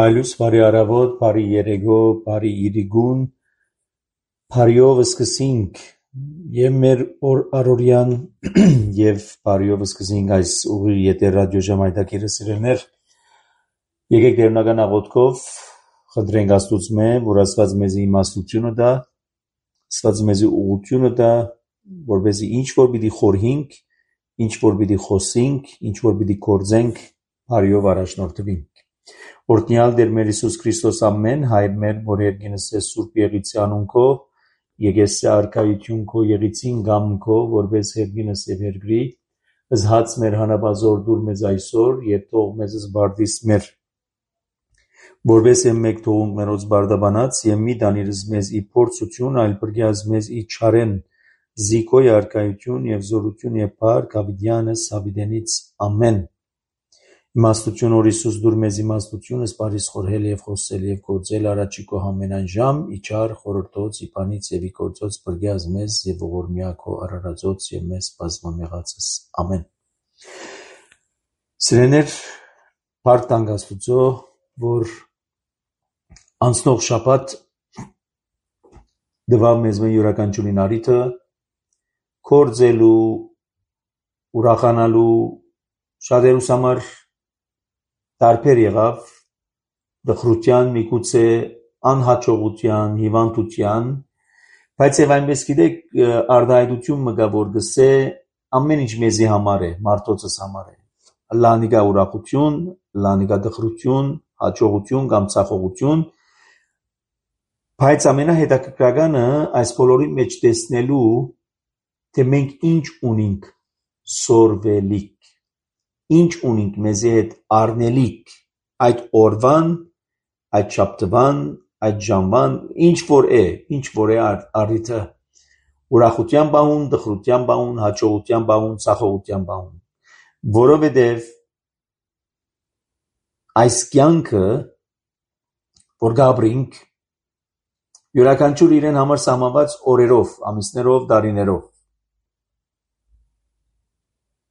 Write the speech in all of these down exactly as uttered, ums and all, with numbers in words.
Այլուց բարի առավոտ, բարի երեկո, բարի իրիգուն, բարիով սկսենք եւ մեր օր առօրյան եւ բարիով սկսենք այս ուղիղ եթեր ռադիո ժամայթակիրը սիրելներ։ Եկեք դերնական աղոթքով խնդրենք Աստծո, որ Աստված մեզի իմաստությունը տա, Աստված մեզի ուղղությունը տա, որպեսզի ինչ որ պիտի խորհենք, ինչ որ պիտի խոսենք, ինչ որ պիտի գործենք, բարիով առաջնորդվենք։ Օրհնյալ Տեր մեր Հիսուս Քրիստոս ամեն հայր մեր, որ երկինս է Սուրբ Եղիցի անունքո, եկեսի արքայություն քո եղիցին գամքո, որպես երկինս է երկրի, զհաց մեր հանապազոր դուր մեզ այսօր, եւ թող մեզ զբարդիս մեր, որպես է մեկ թողունք մերոց բարդաբանած, եւ մի դանիրս մեզ ի փորձություն, այլ բրգյազ մեզ ի չարեն, զիկոյ արքայություն եւ զորություն եւ փառք ավիդյանս ավիդենից ամեն։ Իմաստություն որ Հիսուս դուր մեզ իմաստությունս բարիս խորհել եւ խոսել եւ գործել առաջիկո ամենայն ժամ իչար խորհրդոց իբանից եւ ի գործոց բրգյազ մեզ եւ ողորմյակո արարածոց եւ մեզ բազմամեղացս ամեն։ Սիրեներ, փառք տանք Աստծո, որ անցնող շաբաթ դվավ մեզ մեր յուրաքանչյուրին արիթը կործելու ուրախանալու շատերուս համար տարբեր եղավ դխրության, միգուցե անհաջողության, հիվանդության, բայց եւ այնպես գիտեք արդայդություն մգա որ գսե ամեն ինչ մեզի համար է, մարդոցս համար է։ Լանիգա ուրախություն, լանիգա դխրություն, հաջողություն կամ ցախողություն, բայց ամենահետաքրքրականը այս բոլորի մեջ տեսնելու թե մենք ինչ ունենք սորվելիք, ինչ ունենք մեզի հետ առնելիք այդ օրվան, այդ շաբթվան, այդ ժամվան, ինչ որ է, ինչ որ է առիթը ուրախության բահուն, դխրության բահուն, հաջողության բահուն, ցախողության բահուն, որովհետև այս կյանքը որ գաբրինք յուրաքանչյուր իրեն համար սահմանված օրերով, ամիսներով, տարիներով։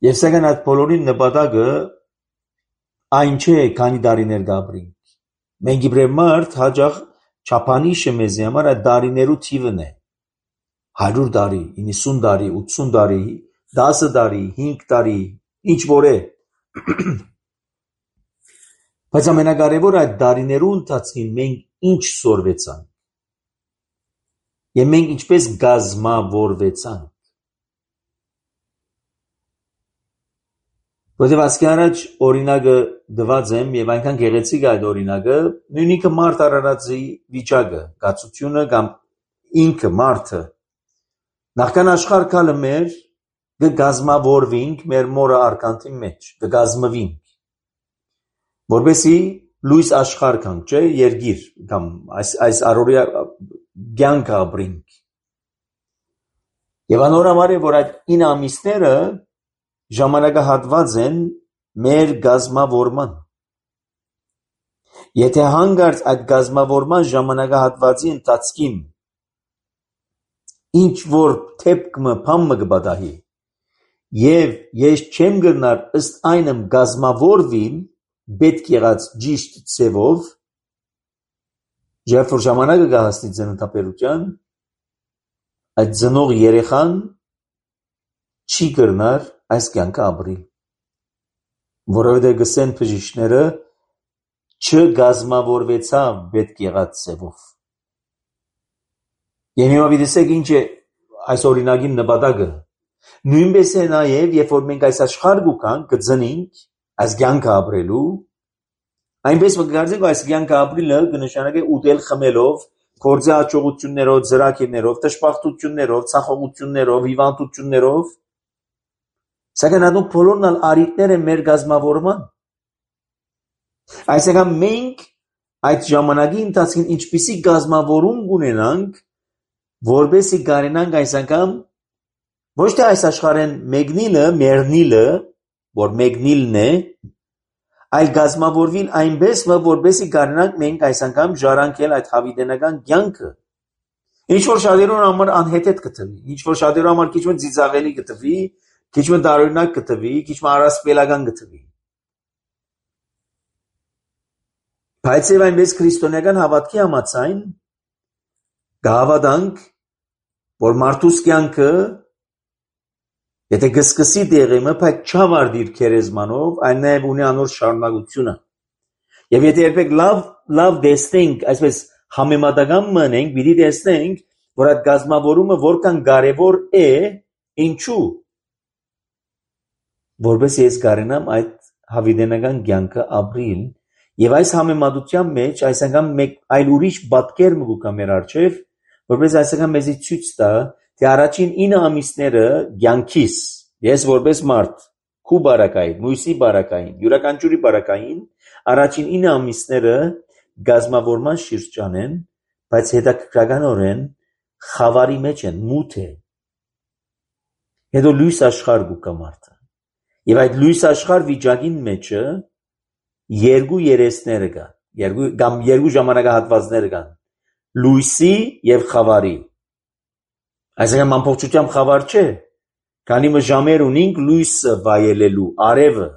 Եվ սակայն այդ բոլորի նպատակը այն չէ, քանի տարիներ գաբրինք։ Մենք իբրև մարդ հաճախ չափանիշը մեզի համար այդ տարիներու թիվն է։ հարյուր տարի, իննսուն տարի, ութսուն տարի, դասը տարի, հինգ տարի, ինչ որ է։ Բայց ամենակարևորը այդ տարիներու ընթացքին մենք ինչ սորվեցանք։ Եվ մենք ինչպես գազմավորվեցանք։ Որտեւ ասկի առաջ օրինակը դված եմ եւ այնքան գեղեցիկ այդ օրինակը, նույնիկը մարդ արարածի վիճակը, գացությունը կամ ինքը մարդը նախքան աշխարհ կալը մեր կգազմավորվինք մեր մորը արքանտի մեջ, կգազմվինք, որպեսի լույս աշխարհ կանք, չէ, երգիր կամ այս այս առօրյա կյանք ապրինք։ Եվ անորամար է, որ այդ ինը ամիսները ժամանակահատված են մեր գազմավորման։ Եթե հանգարց այդ գազմավորման ժամանակահատվածի ընթացքին ինչ որ թեփքը փամը կբադահի եւ ես չեմ գնար ըստ այնմ գազմավորվին պետք եղած ճիշտ ծևով երբ որ ժամանակը կհասնի ծննդաբերության այդ ծնող երեխան չի կրնար այս կյանքը ապրիլ, որովհետև գսեն բժիշկները չգազմավորվեցավ պետք եղած ծևով։ Եվ հիմա դիտեք ինչ է այս օրինակի նպատակը։ Նույնպես է նաև, երբ որ մենք այս աշխարհ գուքանք, կծնենք այս կյանքը ապրելու, այնպես մգարձեք այս կյանքը ապրելը կնշանակե ուտել խմելով, գործի հաջողություններով, ծրագիրներով, դժբախտություններով, ցախողություններով, հիվանդություններով, սակայն այդ բոլորն ալ արիտներ են մեր գազմավորման։ Այսինքն մենք այդ ժամանակի ընթացքին ինչպիսի գազմավորում ունենանք, որպեսզի կարենանք այս անգամ ոչ թե այս աշխարհեն մեկնիլը, մեռնիլը, որ մեկնիլն է, այլ գազմավորվին այնպես, որպեսզի կարենանք մենք այս անգամ ժառանգել այդ հավիտենական կյանքը։ Ինչ որ շատերուն համար անհեթեթ կթվի, ինչ որ շատերուն համար քիչ մը ծիծաղելի կթվի, քիչ մը տարօրինակ կթվի, քիչ մը առասպելական կթվի։ Բայց եւ այնպես քրիստոնեական հավատքի համաձայն գավադանք, որ մարդուս կյանքը եթե գսկսի դեղիմը, բայց չավարտիր քերեզմանով, այն նաև ունի անոր շարունակությունը։ Եվ եթե երբեք լավ լավ տեսնենք, այսպես համեմատական մնենք, պիտի տեսնենք, որ այդ գազմավորումը որքան կարևոր է, ինչու։ Որպես ես կարենամ այդ հավիտենական կյանքը ապրիլ, եւ այս համեմատության մեջ այս անգամ մեկ այլ ուրիշ պատկեր մգուկա մեր արչեւ, որպես այս անգամ մեզի ցույց տա, թե առաջին ինը ամիսները կյանքիս, ես որպես մարդ, քու բարակային, մույսի բարակային, յուրաքանչյուրի բարակային, առաջին ինը ամիսները գազմավորման շրջան են, բայց հետաքրքրականորեն խավարի մեջ են, մութ է։ Հետո լույս աշխարհ գուկա մարդը։ Եվ այդ լույս աշխարհ վիճակին մեջը երկու երեսները կան, երկու կամ երկու ժամանակահատվածներ կան, լույսի եւ խավարի։ Այսինքն ամբողջությամբ խավար չէ, քանի որ ժամեր ունենք լույսը վայելելու, արևը,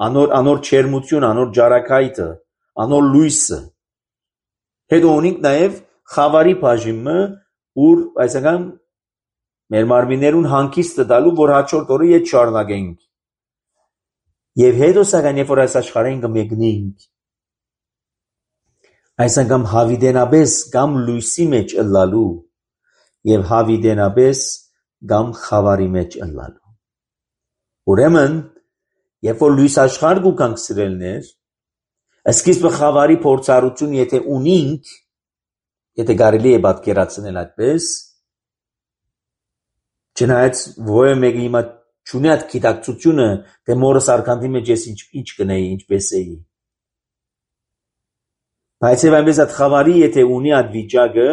անոր անոր չերմություն, անոր ջարակայթը, անոր լույսը։ Հետո ունենք նաեւ խավարի բաժինը, ուր այսինքն մեր մարմիններուն հանգիստը տալու, որ հաջորդ օրը ետ շարունակենք։ Եվ հետո սակայն երբ որ այս աշխարհին կմեկնենք, այս անգամ հավիտենապես կամ լույսի մեջ ըլլալու եւ հավիտենապես կամ խավարի մեջ ըլլալու։ Ուրեմն, երբ որ լույս աշխարհ գուկանք սիրելներ, սկիզբը խավարի փորձառություն եթե ունենք, եթե կարելի է պատկերացնել այդպես, չնայած ովը մեկը հիմա չունի այդ գիտակցությունը, թե մորս արքանտի մեջ ես ինչ ինչ կնեի, ինչպես էի։ Բայց եւ այնպես այդ խավարի եթե ունի այդ վիճակը,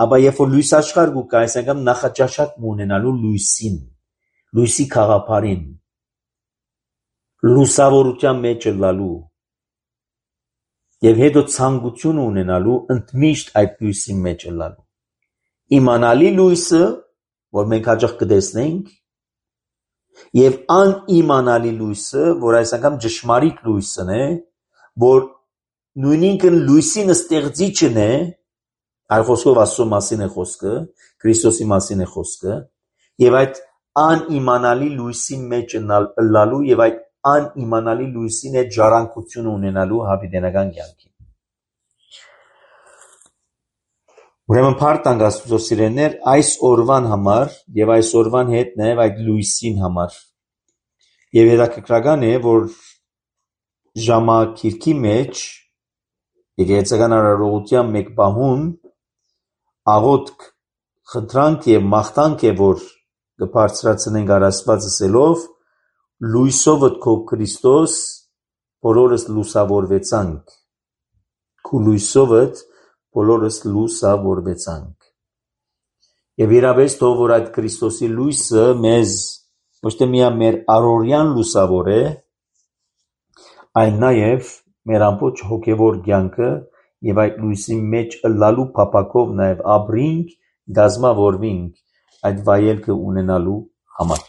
ապա երբ որ լույս աշխարհ գուկա, այսինքն նախաճաշակ ունենալու լույսին, լույսի խաղապարին, լուսավորության մեջ ըլլալու եւ հետո ցանկություն ունենալու ընդմիշտ այդ լույսի մեջ ըլլալու։ Իմանալի լույսը, որ մենք հաջող կտեսնենք, եւ անիմանալի լույսը, որ այս անգամ ճշմարիտ լույսն է, որ նույնինքն լույսին ստեղծիչն է, այլ խոսքով Աստծո մասին է խոսքը, Քրիստոսի մասին է խոսքը, եւ այդ անիմանալի լույսի մեջ ըլլալու եւ այդ անիմանալի լույսին հետ ժառանգություն ունենալու հավիտենական կյանքին։ Ուրեմն փառք Աստծո սիրելիներ, այս օրվան համար եւ այս օրվան հետ նաեւ այդ լույսին համար։ Եվ հետաքրքրական է, որ ժամակիրքի մեջ եկեղեցական արարողության մեկ բահուն աղոթք խնդրանք եւ մաղթանք է, որ կբարձրացնենք առասպած ասելով լույսով քո Քրիստոս բոլորս լուսավորվեցանք քու լույսով բոլորս լուսավորվեցանք եւ իրավես թող որ այդ Քրիստոսի լույսը մեզ ոչ թե միայն մեր առօրյան լուսավոր է, այն նաեւ մեր ամբողջ հոգեվոր կյանքը եւ այդ լույսի մեջ ըլլալու փափակով նաեւ ապրինք, գազմավորվինք այդ վայելքը ունենալու համար։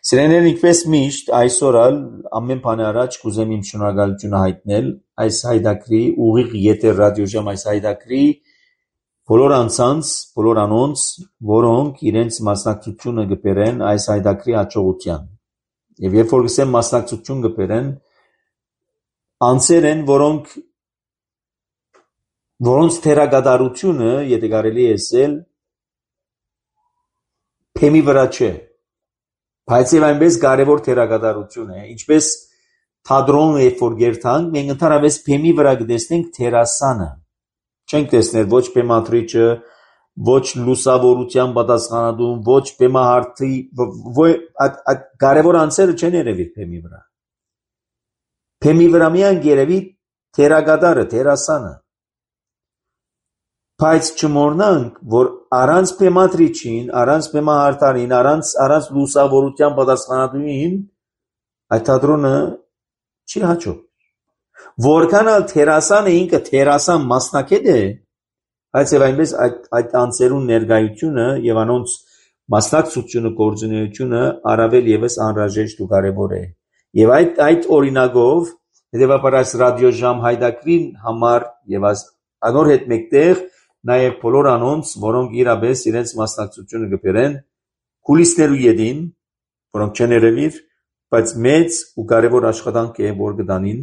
Սիրելիներ, ինչպես միշտ այսօր ամեն բանի առաջ կուզեմ իմ շնորհակալությունը հայտնել այս հայտակրի ուղիղ եթեր ռադիոժամ այս հայտակրի բոլոր անձանց, բոլոր անոնց, որոնք իրենց մասնակցությունը կբերեն այս հայտակրի հաջողության։ Եվ երբ որ գսեմ մասնակցություն կբերեն, անձեր են, որոնք որոնց թերագադարությունը, եթե կարելի է ասել, փեմի վրա չէ, բայց եւ այնպես կարևոր թերագադարություն է, ինչպես թատրոնը երբ որ գերտանք, մենք ընդհանրապես փեմի վրա կտեսնենք թերասանը, չենք տեսնել ոչ փեմատրիչը, ոչ լուսավորության պատասխանատուն, ոչ փեմահարթի, այդ կարևոր անձերը չեն երևի փեմի վրա։ Փեմի վրա միայն երևի թերագադարը, թերասանը։ Բայց չմոռնանք, որ առանց փեմատրիչին, առանց փեմահարթարին, առանց առանց լուսավորության պատասխանատուին, այդ թատրոնը չի հաջող։ Որքան էլ թերասանը ինքը թերասան մասնակետ է, բայց եւ այնպես այդ այդ անձերուն ներկայությունը եւ անոնց մասնակցությունը, գործունեությունը առավել եւս անհրաժեշտ ու կարեւոր է։ Եվ այդ այդ օրինակով Հետևաբար այս ռադիոժամ հայդակրին համար եւ այս անոր հետ մեկտեղ նաեւ բոլոր անոնց, որոնք իրապես իրենց մասնակցությունը կբերեն կուլիսներու յետին, որոնք չեն երևիր, բայց մեծ ու կարևոր աշխատանք է, որ կդանին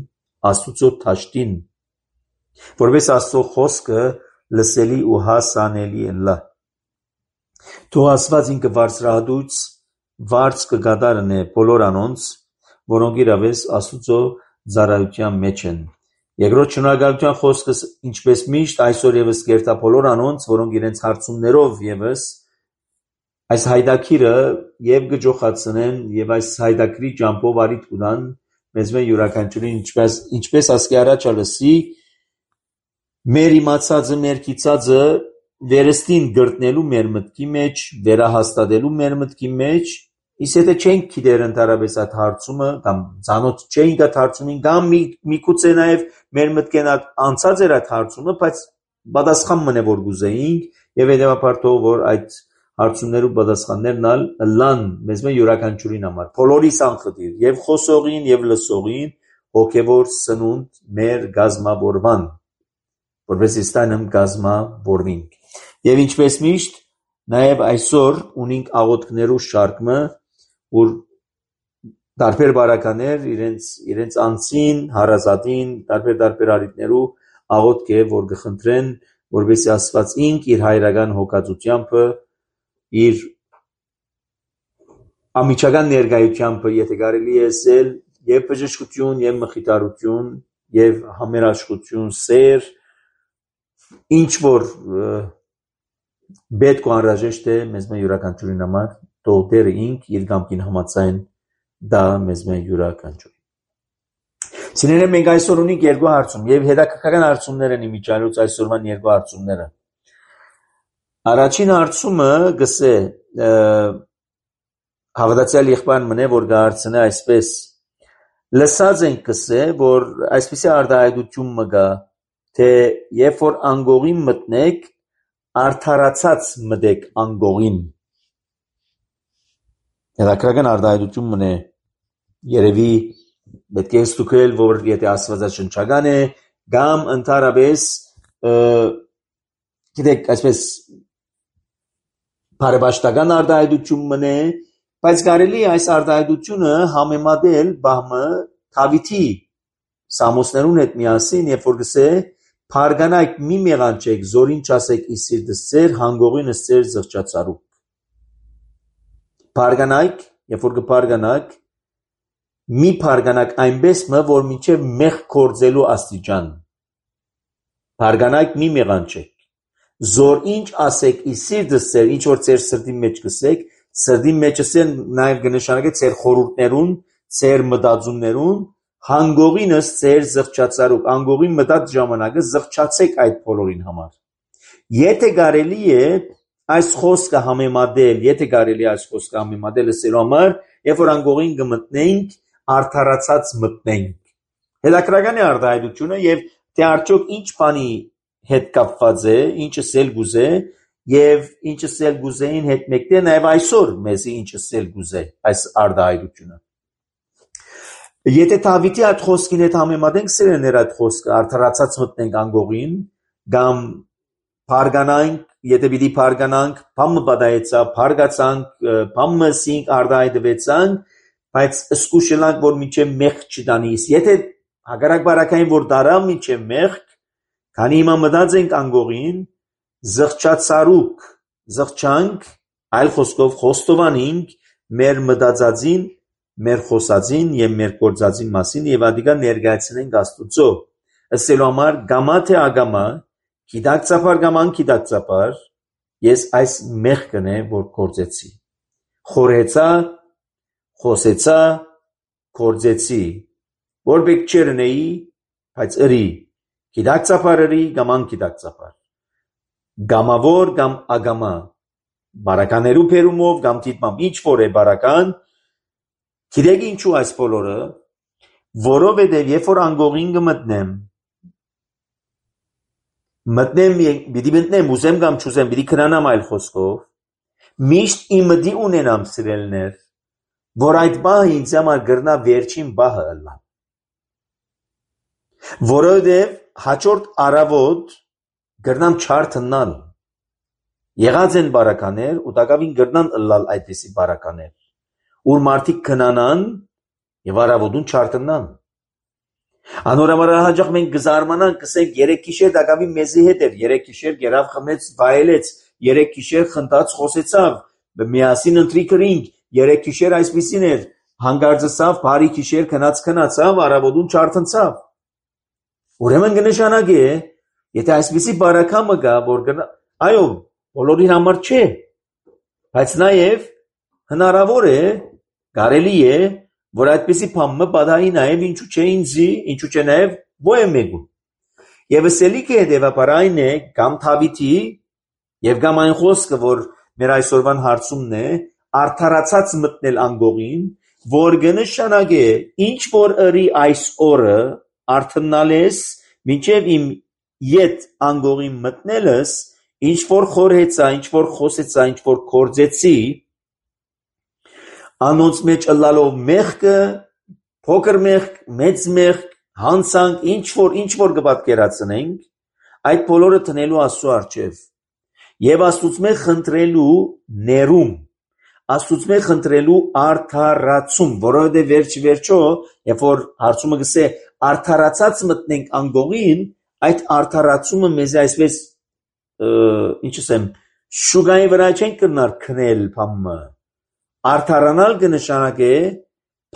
Աստուծո դաշտին, որպես Աստծո խոսքը լսելի ու հասանելի ընլա։ Թող Աստված ինքը բարձրահատույց վարձ կգադարն է բոլոր անոնց, որոնք իրապես Աստուծո ծառայության մեջ են։ Երկրորդ շնորհակալության խոսքս ինչպես միշտ այսօր եւս կերտա բոլոր անոնց, որոնք իրենց հարցումներով եւս այս հայդակիրը եւ գջոխացնեն եւ այս հայդակրի ճամփով արիտ կունան մեզ մե յուրաքանչյուրին ինչպես ինչպես ասկի առաջ ալսի մեր իմացածը մեր կիցածը վերստին գրտնելու մեր մտքի մեջ վերահաստատելու մեր մտքի մեջ իսկ եթե չենք գիտեր ընդհանրապես այդ հարցումը կամ ցանոթ չենք այդ հարցումին կամ միգուցե նաեւ մեր մտքեն անցած էր այդ հարցումը բայց պատասխան մնե որ գուզեինք եւ հետեւաբար թող որ այդ հարցումներու պատասխաններն ալ լան մեզ մե յուրաքանչյուրին համար բոլորիս անխտիր եւ խոսողին եւ լսողին հոգեվոր սնունդ մեր գազմավորման որպես իստանեմ գազմավորվինք եւ ինչպես միշտ նաեւ այսօր ունենք աղոթքներու շարքը որ տարբեր բարականեր իրենց իրենց անձին հարազատին տարբեր տարբեր արիտներու աղոթք է որ կխնդրեն որպեսզի Աստված ինք իր հայրական հոգացությամբ իր ամիջական ներկայությամբ եթե կարելի է ասել եւ բժշկություն եւ մխիթարություն եւ համերաշխություն սեր ինչ որ պետք ու անհրաժեշտ է մեզ մե յուրաքանչյուրին համար թող դերը ինք իր կամքին համաձայն դա մեզ մե յուրաքանչյուրին Սիրելիներ մենք այսօր ունենք երկու հարցում եւ հետաքրքրական հարցումներ են իմիջիայլոց այսօրվան երկու հարցումները Առաջին հարցումը գսե հավատացյալ եղբայրն մնե որ գարցնե այսպես լսած ենք գսե որ այսպեսի արտահայտություն մգա թե երբ որ անգողին մտնեք արդարացած մտեք անգողին Հետաքրքրական արտահայտություն մնե երևի պետք է ստուգել որ եթե աստվածաշնչական է կամ ընդհանրապես գիտեք այսպես բարեբաշտական արտահայտություն մնե, բայց կարելի է այս արտահայտությունը համեմատել բահմը Դավիթի Սամոսներուն հետ միասին, երբ որ գսե «Փարգանայք մի մեղանչեք, զորին չասեք ի սիրտս ձեր, հանգողինս ձեր զղջացարուք»։ Փարգանայք, երբ որ կփարգանաք, մի փարգանաք այնպես մը, որ մինչև մեղ կործելու աստիճան։ Փարգանայք մի մեղանչեք։ Զոր ինչ ասեք ի սիրտս ձեր, ինչ որ ձեր սրտի մեջ կսեք, սրտի մեջ ասեն նաև կնշանակե ձեր խորհուրդներուն, ձեր մտածումներուն, հանգողինս ձեր զղջացարուք, անգողին մտած ժամանակը զղջացեք այդ բոլորին համար։ Եթե կարելի է այս խոսքը համեմատել, եթե կարելի է այս խոսքը համեմատել ասելու համար, երբ որ անգողին կմտնենք, արդարացած մտնենք։ Հետաքրքրական է արտահայտությունը եւ թե արդյոք ինչ բանի հետ կապված է, ինչը սել գուզե եւ ինչը սել գուզեին հետ մեկտեղ նաեւ այսօր մեզի ինչը սել գուզե այս արտահայտությունը։ Եթե Դավիթի այդ խոսքին հետ համեմատենք, սերներ այդ խոսքը արդարացած մտնենք անգողին, կամ փարգանանք, եթե պիտի փարգանանք, բամը պատահեցա, փարգացանք, բամը սինք արտահայտվեցանք, բայց սկուշելանք, որ մինչև մեղ չտանիս։ Եթե հակառակ բարակային որ դարա մինչև մեղ, քանի հիմա մտած ենք անգողին, զղջացարուք, զղջանք, այլ խոսքով խոստովանենք մեր մտածածին, մեր խոսածին եւ մեր գործածին մասին եւ ադիգա ներկայացնենք Աստուծո։ Ասելու համար գամա թե ագամա, գիտակցաբար գաման գիտակցաբար, ես այս մեղքն է որ գործեցի։ Խորհեցա, խոսեցա, գործեցի, որ բեք չերնեի, բայց ըրի, գիտակցաբար ըրի, գաման գիտակցաբար։ Գամավոր կամ ագամա, բարականերու փերումով կամ դիտմամբ ինչ որ է բարական, գիտեք ինչու այս բոլորը, որովհետև երբ որ անգողին կմտնեմ, մտնեմ, պիտի մտնեմ, ուզեմ կամ չուզեմ, պիտի քնանամ այլ խոսքով, միշտ իմ մտի ունենամ սիրելներ, որ այդ բահը ինձ համար գրնա վերջին բահը ըլլա։ Որովհետև հաջորդ առավոտ գրնան չարթնալ։ Եղած են բարականեր ու տակավին գրնան ըլլալ այդպիսի բարականեր, ուր մարդիկ քնանան եւ առավոտուն չարթնան։ Անորամար հաջող մենք գզարմանանք, կսենք երեք գիշեր տակավին մեզի հետ էր, երեք գիշեր գերավ խմեց, վայելեց, երեք գիշեր խնդաց խոսեցավ, միասին ընթրիքրինք, երեք գիշեր այսպիսին էր, հանգարձավ, բարի գիշեր քնած քնացավ, առավոտուն չարթնցավ։ Ուրեմն կնշանակի է, եթե այսպիսի բարակամը գա, որ գնա, այո, բոլորի համար չէ, բայց նաև հնարավոր է, կարելի է, որ այդպիսի բամը պատահի նաև ինչու չէ ինձի, ինչու չէ նաև ոյ մեկու։ Եվ սելիքը հետևաբար այն է, կամ Դավիթի, եւ կամ այն խոսքը, որ մեր այսօրվան հարցումն է, արդարացած մտնել անգողին, որ կնշանակի է, ինչ որ ըրի այս օրը արթնալ ես, մինչև իմ ետ անգողին մտնելս, ինչ որ խորհեցա, ինչ որ խոսեցա, ինչ որ կործեցի, անոնց մեջ ըլլալով մեղքը, փոքր մեղք, մեծ մեղք, հանցանք, ինչ որ, ինչ որ կպատկերացնենք, այդ բոլորը տնելու Աստծո առջև եւ Աստծո խնդրելու ներում, Աստծո խնդրելու արդարացում, որովհետեւ վերջ վերջո, երբ որ հարցումը գսե արդարացած մտնենք անգողին, այդ արդարացումը մեզ այսպես ինչ ասեմ, շուգայի վրա չենք կրնար քնել փամը, արդարանալ կնշանակե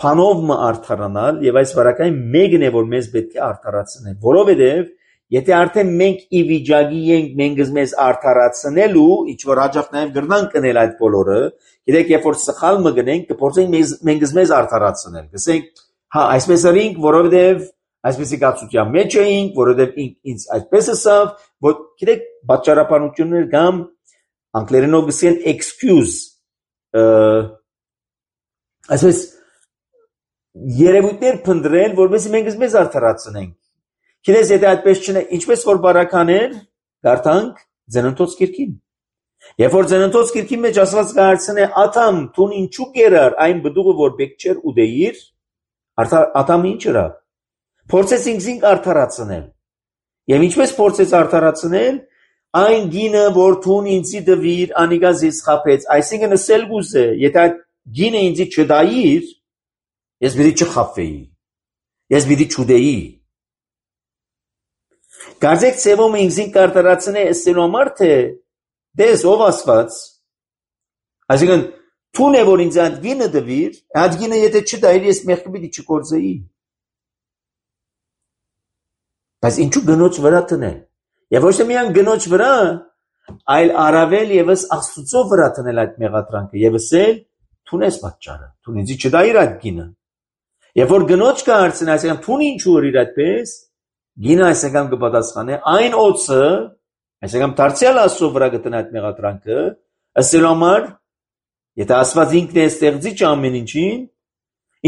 փանով մը արդարանալ եւ այս վարակային մեկն է որ մեզ պետք է արդարացնեն, որովհետեւ եթե արդեն մենք ի վիճակի ենք մենք մեզ արդարացնելու, ինչ որ հաջող նաեւ գրնանք կնել այդ բոլորը, գիտեք երբ որ սխալ մը գնենք, կփորձենք մենք մեզ արդարացնել, գսենք, հա, այսպես արինք, որովհետեւ այսպեսի կացության մեջ էինք, որովհետև ինձ այսպես ասավ, որ գիտեք պատճառաբանություններ կամ անգլերենով գսեն excuse, այսպես երևույթներ փնտրել, որովհետև մենք մեզ արդարացնենք։ Գիտես, եթե այդպես չնե, ինչպես որ բարականեր, կարդանք Ձնընթոց գիրքին։ Երբ որ Ձնընթոց գիրքի մեջ ասված կհարցնե Աթամ, տուն ինչու կերար այն բդուղը, որ պետք չէր ուտեիր, Աթամը ինչ ըրավ։ Փորձեց ինքզինք արդարացնել։ Եվ ինչպես փորձեց արդարացնել, այն գինը, որ թուն ինձի դվիր, անիգա զիս խապեց, այսինքն ասել գուզե, եթե այդ գինը ինձի չդայիր, ես պիտի չխապվեի, ես պիտի չուտեի։ Կարծեք ծևոմ ինքզինք արդարացնե ասելու համար, թե դես ով ասված, այսինքն թուն է, որ ինձ այդ գինը դվիր, այդ գինը եթե չդայիր, ես մեղքը պիտի չկործեի։ Բայց ինչու գնոջ վրա տնել։ Եվ ոչ թե միայն գնոջ վրա, այլ առավել եւս Աստծո վրա տնել այդ մեղադրանքը եւ ասել թուն ես պատճառը, թուն ինձի չդայիր այդ գինը։ Եվ որ գնոջ կհարցնի, այսինքն թուն ինչու ըրիր այդպես, գինը այսինքն կպատասխանե այն օծը, այսինքն դարձյալ Աստծո վրա գտնի այդ մեղադրանքը, ասելու համար, եթե Աստված ինքն է ստեղծիչ ամեն ինչին,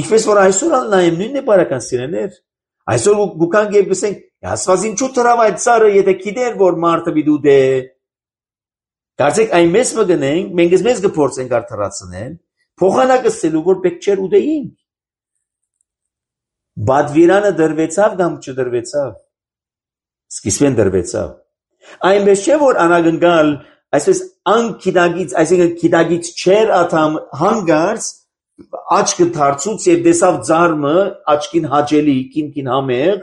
ինչպես որ այսօր նայեմ նույնն է բարական սիրելիներ, այսօր գուքանք եւ գսենք Աստված ինչու դրավ այդ ծառը, եթե գիտեր, որ մարդը պիտի դե։ Կարծեք այն մեզ մգնենք, մենք մեզ կփորձենք արդարացնել, փոխանակը սելու որ պետք չէր ուտեինք։ Բադվիրանը դրվեցավ կամ չդրվեցավ։ Սկիզբեն դրվեցավ։ Այնպես չէ որ անագնգալ, այսպես անկիդագից, այսինքն կիդագից չեր աթամ հանգարց աչքը դարձուց եւ դեսավ ծառը աչքին հաճելի, կինքին համեղ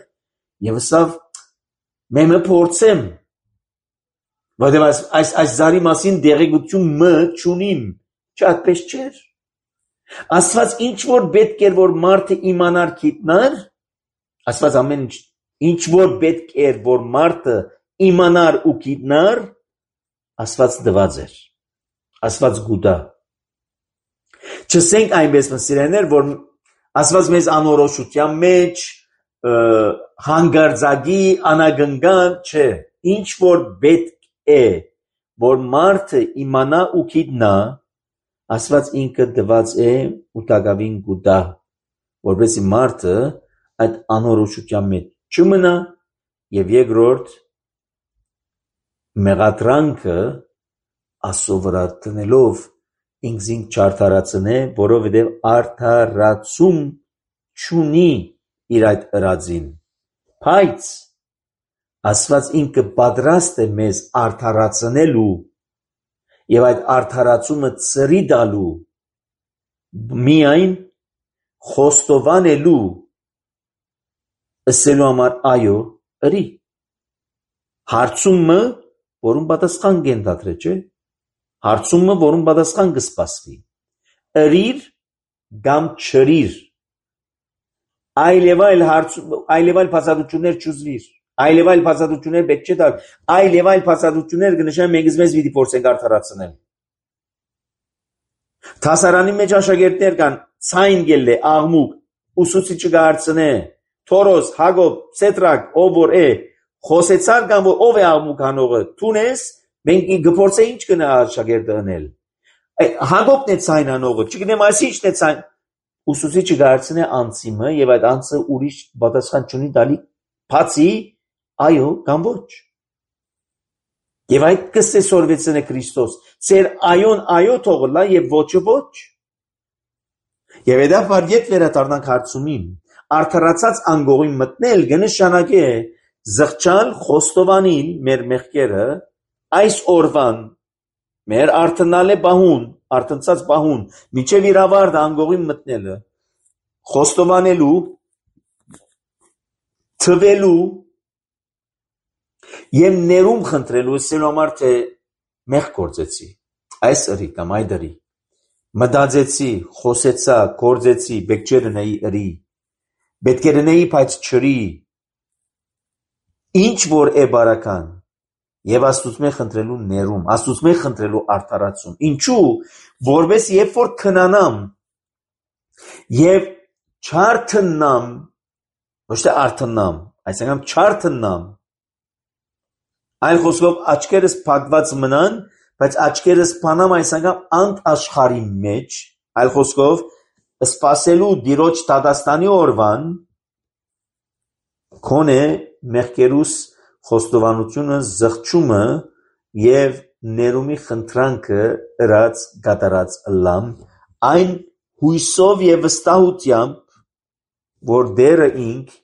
եւ ասավ մեմը փորձեմ որովհետեւ այս այս այս զարի մասին դեղեցություն մը չունիմ չայդպես չէր Աստված ինչ որ պետք էր որ մարդը իմանար գիտնար Աստված ամեն ինչ ինչ որ պետք էր որ մարդը իմանար ու գիտնար Աստված դված էր Աստված գուտա չսենք այնպես մսիրեներ որ Աստված մեզ անորոշության մեջ հանգարձակի անագնգան չէ ինչ որ պետք է որ մարդը իմանա ու գիտնա Աստված ինքը դված է ու տակավին գուտա որովհետեւ մարդը այդ անորոշության մեջ չմնա եւ երկրորդ մեղադրանքը Աստծո վրա տնելով ինքզին չարթարացնե որովհետեւ արդարացում չունի իր այդ ըրածին Բայց Աստված ինքը պատրաստ է մեզ արդարացնելու եւ այդ արդարացումը ծրի տալու միայն խոստովանելու ըսելու համար այո ըրի հարցումը որում պատասխան կենտադրե չէ հարցումը որում պատասխան կսպասվի ըրիր կամ չրիր այլ եւ այլ հարց այլ եւ այլ բացատրություններ չուզվիր այլ եւ այլ բացատրություններ պետք չէ տալ այլ եւ այլ բացատրություններ կնշան մենք մեզ պիտի փորձենք արդարացնել Թասարանի մեջ աշակերտներ կան ցայն գելլե աղմուկ ուսուցիչը գարցնե Թորոս Հակոբ Սետրակ ով որ է խոսեցար կամ որ ով է աղմուկ հանողը Թունես մենք գփորձե ինչ կնա աշակերտը անել Հակոբն է ցայն հանողը չգիտեմ այս ինչն է ցայն ուսուցիչը գարցնե անցիմը եւ այդ անցը ուրիշ պատասխան չունի տալի բացի այո կամ ոչ Եվ այդ կսեսորվեցն է Քրիստոս, ծեր այոն այո թողլա և ոչը ոչ։ Եվ էդա վարգետ վերադառնանք հարցումին, արդարացած անգողին մտնել գնշանակե զղջալ խոստովանիլ մեր մեղքերը, այս օրվան մեր արդնալ է բահուն, արդնցած բահուն, միջև իր ավարդը անգողին մտնելը, խոստովանելու, թվելու, Եվ ներում խնդրելու ասելու համար թե մեղ գործեցի, այս ըրի կամ այդ ըրի, մտածեցի, խոսեցա, գործեցի, պետք չէ լինեի ըրի, պետք է լինեի բայց չրի, ինչ որ է բարական, եւ Աստծո խնդրելու ներում, Աստծո խնդրելու արդարացում, ինչու, որպես երբ որ քնանամ, եւ չարթնամ, ոչ թե արթնամ, այսինքն չարթնամ, Այլ խոսքով աչքերս փակված մնան, բայց աչքերս բանամ այսինքն անտ աշխարհի մեջ, այլ խոսքով սպասելու դիրոջ դատաստանի օրվան քոնե մեղքերուս խոստովանությունը զղջումը եւ ներումի խնդրանքը ըրած գատարած լամ այն հույսով եւ վստահությամբ որ դերը ինք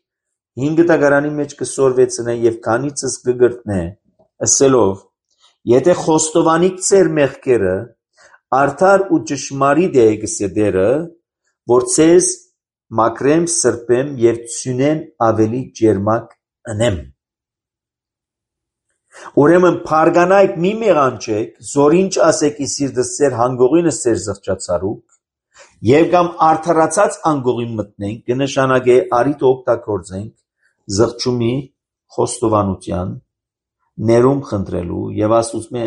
հինգ տակարանի մեջ կսորվեցնե եւ քանիցս կգրտնե ասելով եթե խոստովանիք ծեր մեղքերը արդար ու ճշմարիտ է գսեդերը որ ցեզ մակրեմ սրբեմ եւ ցունեն ավելի ջերմակ անեմ Ուրեմն փարգանայք մի մեղանչեք զորինչ ասեք իսիրդս ծեր հանգողինս ծեր զղջացարուկ եւ կամ արդարացած անգողին մտնենք կնշանակե արիտ օգտագործենք զղջումի խոստովանության ներում խնդրելու եւ Աստծո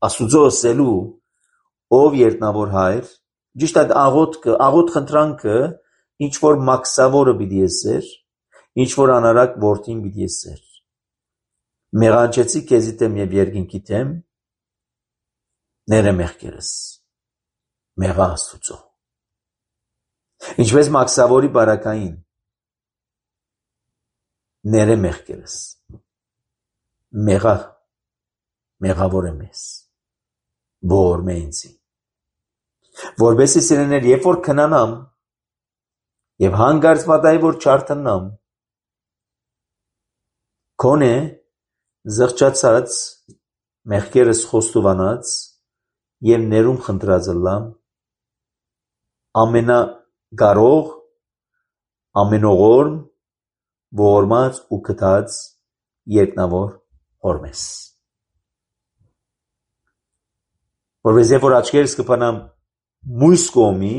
Աստծո ասելու ով երտնավոր հայր ճիշտ այդ աղոթքը աղոթ խնդրանքը ինչ որ մաքսավորը պիտի ասեր ինչ որ անարակ որդին պիտի ասեր մեղանչեցի քեզի դեմ եւ երկինքի դեմ ները մեղքերս մեղա Աստծո ինչպես մաքսավորի բարակային ները մեղքերս մեղա մեղավոր եմ ես որ մենցի որբեսի սիրեներ երբ որ քնանամ եւ հանգարց մատայի որ չարթնամ քոնե զղջացած մեղքերս խոստովանած եւ ներում խնդրած լամ ամենագարող ամենողորմ ողորմած ու կտած երկնավոր Հորմես որպես երբ որ աչքերս կփանամ մույս կողմի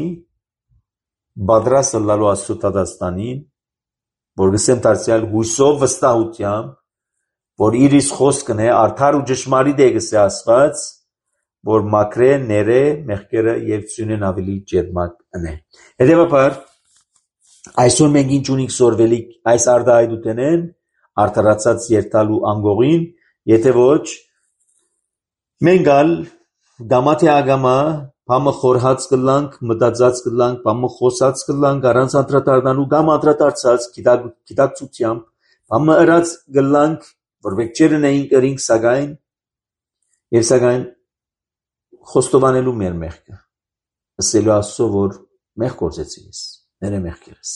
բادرասը լալու Աստծո դատաստանին որ գսեմ դարձյալ հույսով վստահությամբ որ իրիս խոսքն է արդար ու ճշմարիտ է գսե Աստված որ մակրե ները մեղքերը եւ ցունեն ավելի ջերմակ անե հետեւաբար այսօր մենք ինչ ունենք սորվելիք այս արդահայտութենեն արդարացած երթալու անգողին եթե ոչ մենք ալ գամա թե ագամա բամը խորհած կլանք մտածած կլանք բամը խոսած կլանք առանց անդրադառնալու կամ անդրադարձած գիտակցությամբ բամը ըրած կլանք որ մենք չերնեինք ըրինք սակայն եւ սակայն խոստովանելու մեր մեղքը ասելու Աստծո որ մեղ գործեցի ես ները մեղքերս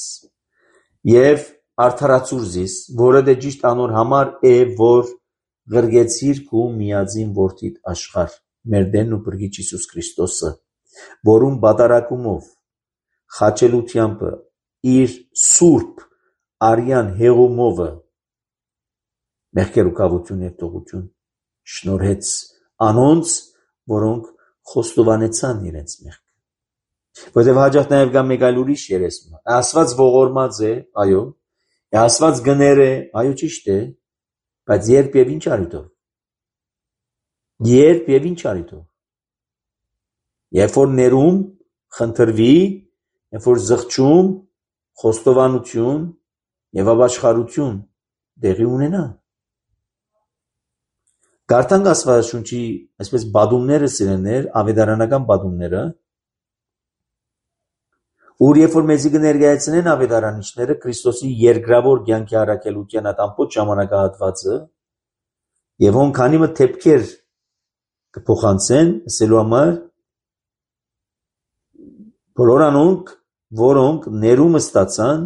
եւ արդարացուր զիս, որը դե ճիշտ անոր համար է, որ գրգեցիր քու միածին որդիդ աշխար, մեր դենն ու բրգիչ Հիսուս Քրիստոսը, որում բատարակումով, խաչելությանպը, իր սուրբ արյան հեղումովը, մեղքեր ու կավություն և տողություն շնորհեց անոնց, որոնք խոստովանեցան իրենց մեղքը։ Որտև հաջող նաև գա մեկ այլ ուրիշ երեսմը, ասված ողորմած է, այո, ասված գներ է, այո ճիշտ է, բայց երբ և ինչ արիտով, երբ և ինչ արիտով, երբ որ ներում, խնդրվի, երբ որ զղջում, խոստովանություն և ապաշխարություն դեղի ունենա։ Կարդանք Աստվածաշունչի այսպես բադումները սիրելիներ, ավետարանական բադումները, ուր երբ որ մեզի կներկայացնեն ավետարանիչները Քրիստոսի երկրավոր կյանքի առաքելության այդ ամբողջ ժամանակահատվածը եւ ոնք քանի մը թեփքեր կփոխանցեն ասելու համար բոլոր անոնք, որոնք ներումը ստացան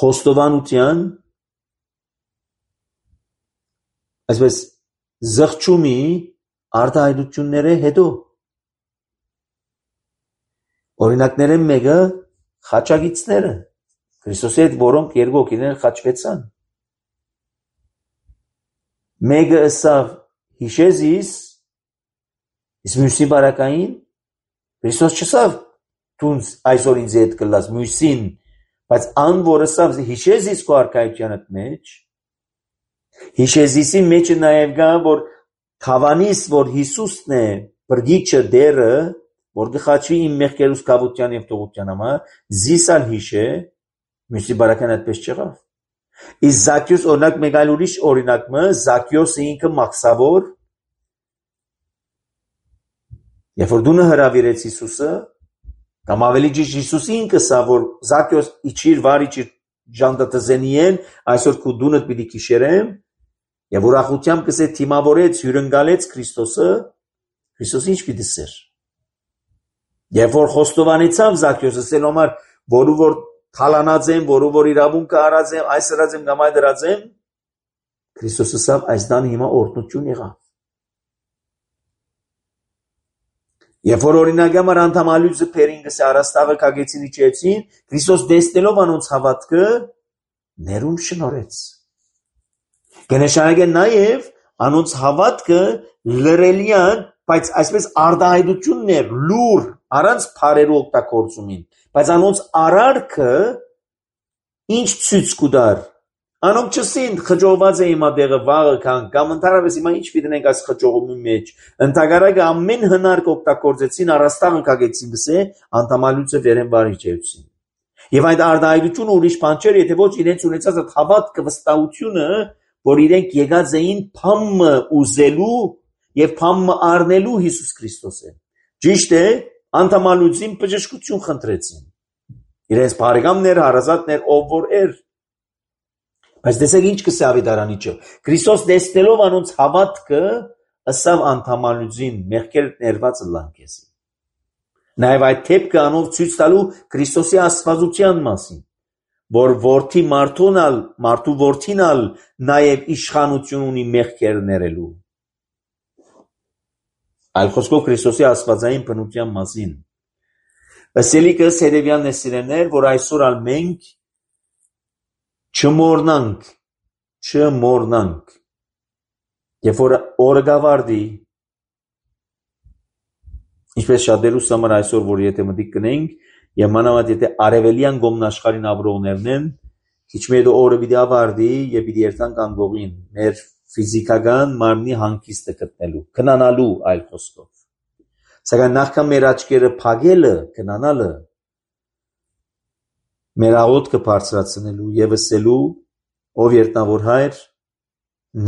խոստովանության այսպես զղջումի արտահայտությունները հետո օրինակները մեկը խաչագիծները Քրիստոսի հետ որոնք երկու հոգիներ խաչվեցան մեկը ըսավ հիշեզիս իսկ մյուսի բարակային Քրիստոս չսավ դունց այսօր ինձ հետ կլաս մյուսին բայց ան որ ըսավ հիշեզիս քո արքայությանդ մեջ հիշեզիսի մեջը նաև գա որ թավանիս որ Հիսուսն է բրգիչը դերը որ գխաչվի իմ մեղքերուս կավության և տողության համար, զիսալ հիշե, մյուսի բարական այդպես չեղավ։ Իսկ Զաքյոս օրինակ մեկ այլ ուրիշ օրինակը, Զաքյոսը ինքը մաքսավոր, երբ որ դունը հրավիրեց Հիսուսը, կամ ավելի ճիշտ Հիսուսը ինքը սա, որ Զաքյոս իջիր վար իջիր ժանդատզենի են, այսօր քու դունդ պիտի քիշերեմ, և ուրախությամբ կսե թիմավորեց, հյուրընկալեց Քրիստոսը, Քրիստոսը ինչ պիտի սեր։ Երբ որ խոստովանեցավ Զաքյոսը ասել համար, որու որ թալանած եմ, որու որ իրավունքը արած եմ, այս արած եմ, կամ այդ արած եմ, Քրիստոսը ասավ, այս դանը հիմա օրհնություն եղավ։ Երբ որ օրինակ համար անդամալույզը փերին գսե առաստաղը կագեցին իջեցին, Քրիստոս դեսնելով անոնց հավատքը ներում շնորհեց։ Կնշանակե նաև անոնց հավատքը լրելյան, բայց այսպես արտահայտություններ, լուր, առանց փարերու օգտագործումին, բայց անոնց արարքը ինչ ցույց կուտար։ Անոնք չսին խճողված է հիմա դեղը վաղը կան, կամ ընդհանրապես հիմա ինչ պիտենք այս խճողումի մեջ։ Ընդհանրակը ամեն հնար կօգտագործեցին, առաստաղը կագեցին գսե, անդամալույցը վերեն վարիչեցին։ Եվ այդ արտահայտությունը ուրիշ բան չէր, եթե ոչ իրենց ունեցած այդ հավատքը վստահությունը, որ իրենք եկած էին փամը ուզելու եւ փամը առնելու Հիսուս Քրիստոսը։ Ճիշտ է, անդամալույցին բժշկություն խնդրեցին։ Իրենց բարեկամներ, հարազատներ, ով որ էր։ Բայց տեսեք ինչ կսե ավետարանիչը։ Քրիստոս դեսնելով անոնց հավատքը, ըսավ անդամալույցին մեղքեր ներված լանկեսի։ Նաև այդ թեփքը անով ցույց տալու Քրիստոսի աստվածության մասին, որ որդի մարդունալ, մարդու որդինալ նաև իշխանություն ունի մեղքեր ներելու։ Այլ խոսքով Քրիստոսի աստվածային բնության մասին։ Ըսելիքս հետևյալն է սիրելիներ, որ այսօր ալ մենք չմոռնանք, չմոռնանք, երբ որ օրը գավարդի, ինչպես շատերուս համար այսօր, որ եթե մտիկ կնենք, եւ մանավանդ եթե արևելյան գոմն աշխարհին ապրողներն են, քիչ մի հետո օրը պիտի ավարտի եւ պիտի երթանք անգողին մեր ֆիզիկական մարմնի հանգիստը գտնելու, քնանալու այլ խոսքով։ Սակայն նախքան մեր աչքերը փակելը, քնանալը, մեր աղոթքը բարձրացնելու եւ ասելու, ով երտնավոր հայր,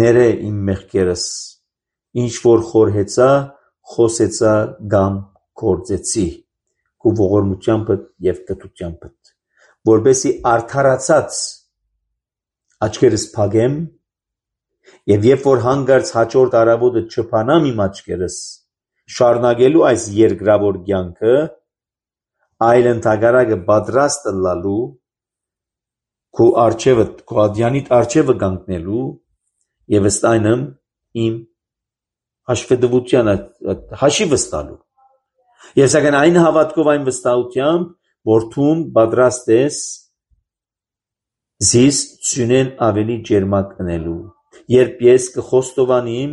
ներե իմ մեղքերս, ինչ որ խորհեցա, խոսեցա կամ գործեցի, քու ողորմությամբ եւ կտությամբ, որբեսի արդարացած աչքերս փակեմ եւ երբ որ հանգարց հաջորդ արավոտը չփանամ իմ աչքերս, շարունակելու այս երկրավոր կյանքը, այլ ընդհակառակը պատրաստ լալու քո արջևը, քո ադյանիտ արջևը կանգնելու եւ ըստ այնմ իմ հաշվետվության հաշի վստալու։ Եվ սակայն այն հավատքով այն վստահությամբ, որ դու պատրաստ ես զիս ծյունեն ավելի ջերմակ ընելու, երբ ես կխոստովանիմ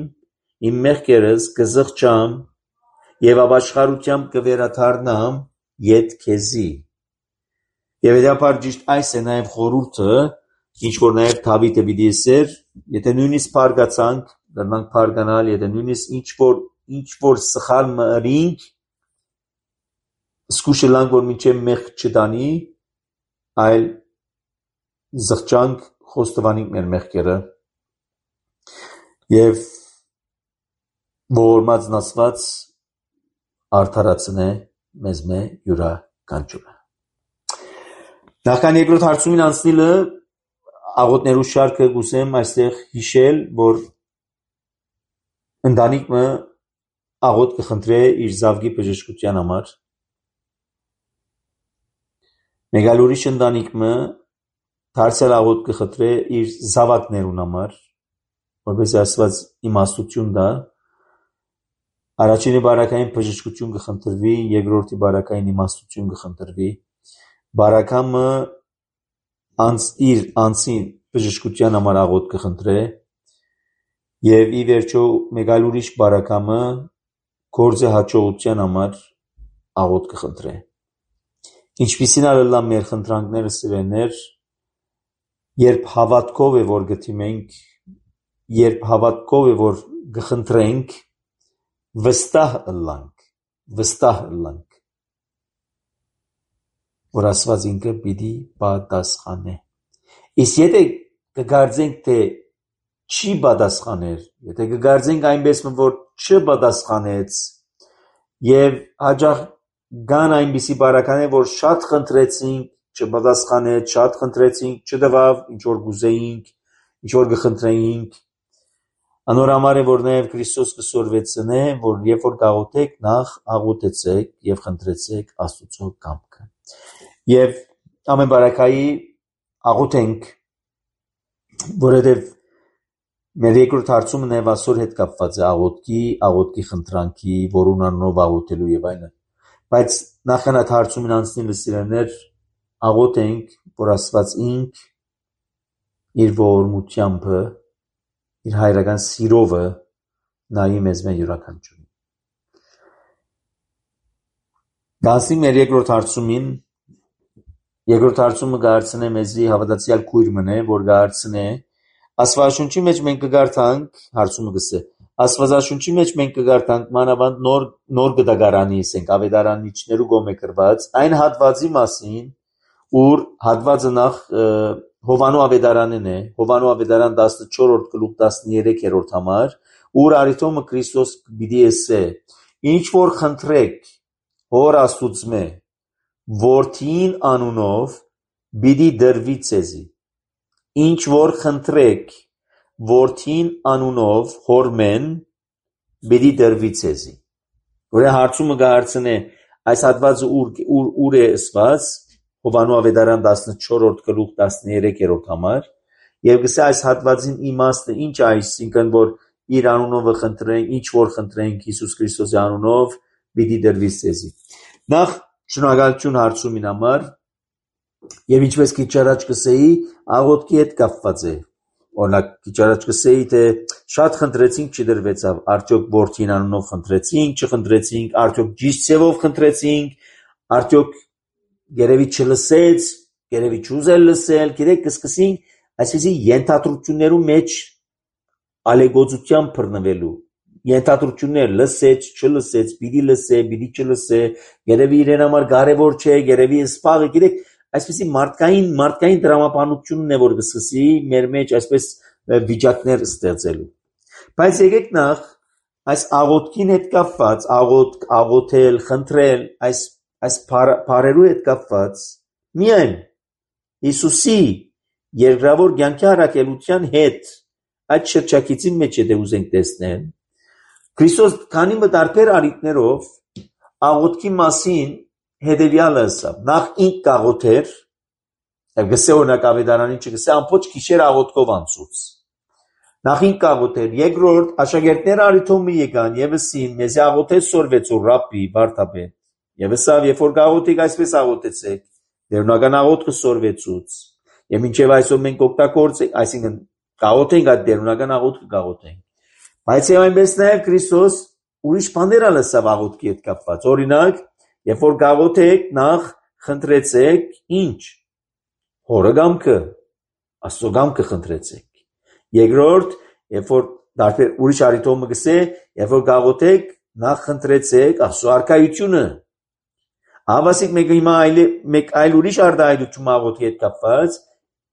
իմ մեղքերս կզղջամ եւ ապաշխարությամբ կվերադառնամ յետ քեզի։ Եվ հետապար ճիշտ այս է նաեւ խորհուրդը, ինչ որ նաեւ Դավիթը պիտի ասեր, եթե նույնիսկ բարգացանք, դրանք բարգանալ, եթե նույնիսկ ինչ որ ինչ որ սխալ մըրինք, սկուշը լանք որ մինչև մեղք չտանի, այլ զղջանք խոստովանենք մեր մեղքերը եւ ողորմած Աստված արդարացնե մեզ մե յուրաքանչյուրը։ Նախքան երկրորդ հարցումին անցնելը աղոթներու շարքը գուսեմ այստեղ հիշել, որ ընտանիքը աղոթ կխնդրե իր զավգի բժշկության համար։ Մեկ այլ ուրիշ ընտանիքը դարձյալ աղոթ կխնդրե իր զավակներուն համար, որպես Աստված իմաստություն տա։ Առաջինի բարակային բժշկություն կխնդրվի, երկրորդի բարակային իմաստություն կխնդրվի։ Բարակամը անց իր անցին բժշկության համար աղոթ կխնդրե եւ ի վերջո մեկ այլ ուրիշ բարակամը գործը հաջողության համար աղոթ կխնդրե։ Ինչպիսին ալլա մեր խնդրանքները սիրեներ, երբ հավատքով է որ գտիմենք, երբ հավատքով է որ գխնդրենք, վստահ ըլլանք, վստահ ըլլանք, որ Աստված ինքը պիտի պատասխանե։ Իսկ եթե կգարձենք, թե չի պատասխաներ, եթե կգարձենք այնպես, որ չպատասխանեց եւ հաջող կան այնպիսի բարականեր, որ շատ խնդրեցինք, չպատասխանեց, շատ խնդրեցինք, չտվավ, ինչ որ գուզեինք, ինչ որ կխնդրեինք, անոր համար է որ նաեւ Քրիստոս կսորվեցնե, որ երբ որ կաղոթեք, նախ աղոթեցեք եւ խնդրեցեք Աստծո կամքը։ Եվ ամեն բարակայի աղոթենք, որովհետեւ մեր երկրորդ հարցումը նաեւ այսօր հետ կապված է աղոթքի, աղոթքի խնդրանքի, որուն անունով աղոթելու եւ այլն։ Բայց նախքան այդ հարցումին անցնելը սիրելիներ, աղոթենք, որ Աստված ինք իր ողորմությամբ, իր հայրական սիրովը նայի մեզ մեր յուրաքանչյուրին։ Դասի մեր երկրորդ հարցումին, երկրորդ հարցումը կհարցնե մեզի հավատացյալ քույր մնե, որ կհարցնե Աստվածաշունչի մեջ մենք կգարտանք, հարցումը գսե, Աստվածաշունչի մեջ մենք կգարտանք մանավանդ նոր նոր գդագարանի, ասենք ավետարանիչներու գոմե գրված, այն հատվածի մասին, ուր հատվածը նախ Հովանու ավետարանն է, Հովանու ավետարան տասնչորրորդ գլուխ տասներեքերորդ համար, ուր արիթոմը Քրիստոս պիտի ասե, ինչ որ խնդրեք Հոր Աստուծմե, Որդին անունով պիտի դրվի ցեզի, ինչ որ խնդրեք Որդին անունով Հորմեն պիտի դրվի ցեզի։ Որը հարցումը կհարցնե այս հատվածը ուր ուր ուր է ասված Հովանու ավետարան տասնչորրորդ գլուխ տասներեքերորդ համար եւ գսե այս հատվածին իմաստը ինչ է, այսինքն որ իր անունով խնդրենք, ինչ որ խնդրենք Հիսուս Քրիստոսի անունով պիտի դրվի ցեզի։ Նախ շնորհակալություն հարցումին համար եւ ինչպես քիչ առաջ կսեի, աղոթքի հետ կապված է։ Օրինակ քիչ առաջ կսեի, թե շատ խնդրեցինք, չդրվեցավ, արդյոք Որդին անունով խնդրեցինք, չխնդրեցինք, արդյոք ճիշտ ձևով խնդրեցինք, արդյոք երևի չլսեց, երևի չուզել լսել, գիտեք, կսկսենք այսպեսի ենթադրություններու մեջ ալեգոծությամբ բռնվելու։ Ենթադրություններ լսեց, չլսեց, պիտի լսե, պիտի չլսե, երևի իրեն համար կարևոր չէ, երևի սպաղը, գիտեք, այսպեսի մարդկային մարդկային դրամապանությունն է որ կսկսի մեր մեջ այսպես վիճակներ ստեղծելու։ Բայց եկեք նախ այս աղոթքին հետ կապված, աղոթք, աղոթել, խնդրել, այս այս բառերու հետ կապված միայն Հիսուսի երկրավոր կյանքի առաքելության հետ այդ շրջակիցի մեջ եթե ուզենք տեսնել, Քրիստոս քանի մտարբեր արիտներով աղոթքի մասին հետևյալը ասավ. նախ ինք կաղոթեր, Գսե օրինակ ավետարանին չգսե ամբողջ գիշեր աղոթքով անցուց։ Նախին կաղոթեր, երկրորդ աշակերտները արիթոմը եկան եւ ասին, մեզի աղոթեց սորվեցու ռաբբի Վարդապետ։ Եվ ասավ, երբ որ կաղոթիկ այսպես աղոթեցեք, դերունական աղոթքը սորվեցուց։ Եվ մինչև այսօր մենք օգտագործենք, այսինքն կաղոթենք այդ դերունական աղոթքը կաղոթենք։ Բայց եւ այնպես նաեւ Քրիստոս ուրիշ բաներ ալսավ աղոթքի հետ կապված։ Օրինակ, երբ որ կաղոթեք, նախ խնդրեցեք ինչ։ Հորը գամքը, Աստծո գամքը խնդրեցեք։ Երկրորդ, երբ որ դարբեր ուրիշ արիթոմը գսե, երբ որ կաղոթեք, նախ խնդրեցեք Աստծո արքայությունը։ Հավասիկ մեկ հիմա այլ մեկ այլ ուրիշ արտահայտություն աղոթքի հետ կապված,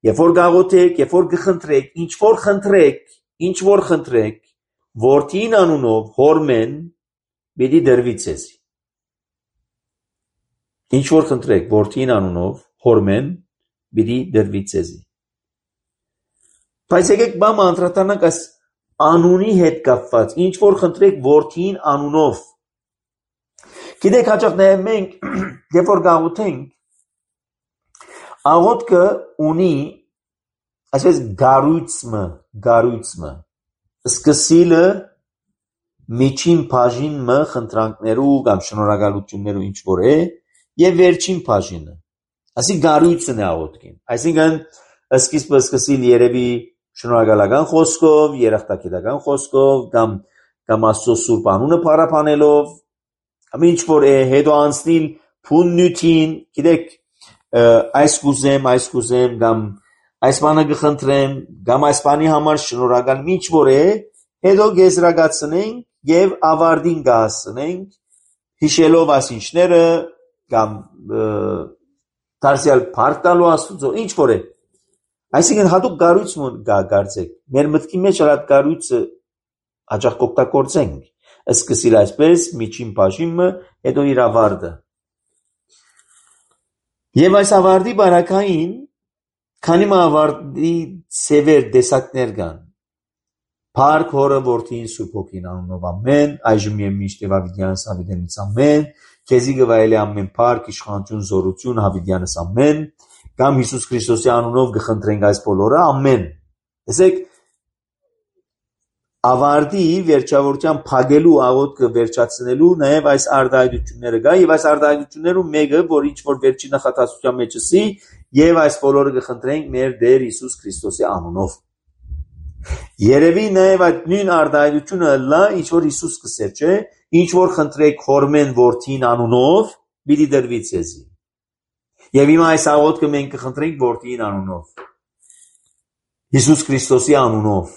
երբ որ կաղոթեք, երբ որ կխնդրեք, ինչ որ խնդրեք, ինչ որ խնդրեք, որդին անունով հորմեն պիտի դրվի ցեզ։ Ինչ որ խնդրեք, որդին անունով հորմեն պիտի դրվի ցեզ։ Բայց եկեք բամ անդրադառնանք այս անունի հետ կապված, ինչ որ խնդրեք որդին անունով։ Գիտեք հաճախ նաև մենք, երբ որ գաղութենք, աղոթքը ունի, այսպես գարույցմը, գարույցմը, սկսիլը միջին բաժինը խնդրանքներու կամ շնորհակալություններու ինչ որ է, եւ վերջին բաժինը։ Ասի գարույցն է աղոթքին։ Այսինքն սկիզբը սկսիլ երևի շնորհակալական խոսքով, երախտագիտական խոսքով կամ կամ Աստծո սուրբ անունը փառաբանելով, կամ ինչ որ է հետո անցնել փուննյութին, գիտեք, այս կուզեմ, այս կուզեմ կամ այս բանը կխնդրեմ, կամ այս բանի համար շնորհակալ ինչ որ է, հետո գեզրակացնենք եւ ավարտին կհասնենք, հիշելով ասինչները կամ դարձյալ փառք տալու Աստծո, ինչ որ է։ Այսինքն հատուկ գարույց գարցեք, մեր մտքի մեջ այդ գարույցը հաճախ օգտագործենք, սկսիլ այսպես, միջին բաժինը, հետո իր ավարտը։ Եվ այս ավարտի բարակային, քանի մը ավարտի սևեր դեսակներ կան, Փառք Հորը Որդին Սուրբ Հոգին անունով ամեն, այժմ եւ միշտ եւ հավիտյանս հավիտենից ամեն, քեզի գվայելի ամեն փառք, իշխանություն, զորություն հավիտյանս ամեն, կամ Հիսուս Քրիստոսի անունով կխնդրենք այս բոլորը ամեն։ Տեսեք, ավարտի վերջավորության փագելու աղոթքը վերջացնելու նաեւ այս արտահայտությունները կա եւ այս արտահայտություններում մեկը, որ ինչ որ վերջի նախատասության մեջ էսի, եւ այս բոլորը կխնդրենք մեր Տեր Հիսուս Քրիստոսի անունով։ Երևի նաև այդ նույն արտահայտությունը լա, ինչ որ Հիսուս կսեր, չէ, ինչ որ խնդրեք հորմեն որդին անունով, պիտի դրվի ցեզի։ Եվ հիմա այս աղոթքը մենք կխնդրենք որդին անունով, Հիսուս Քրիստոսի անունով։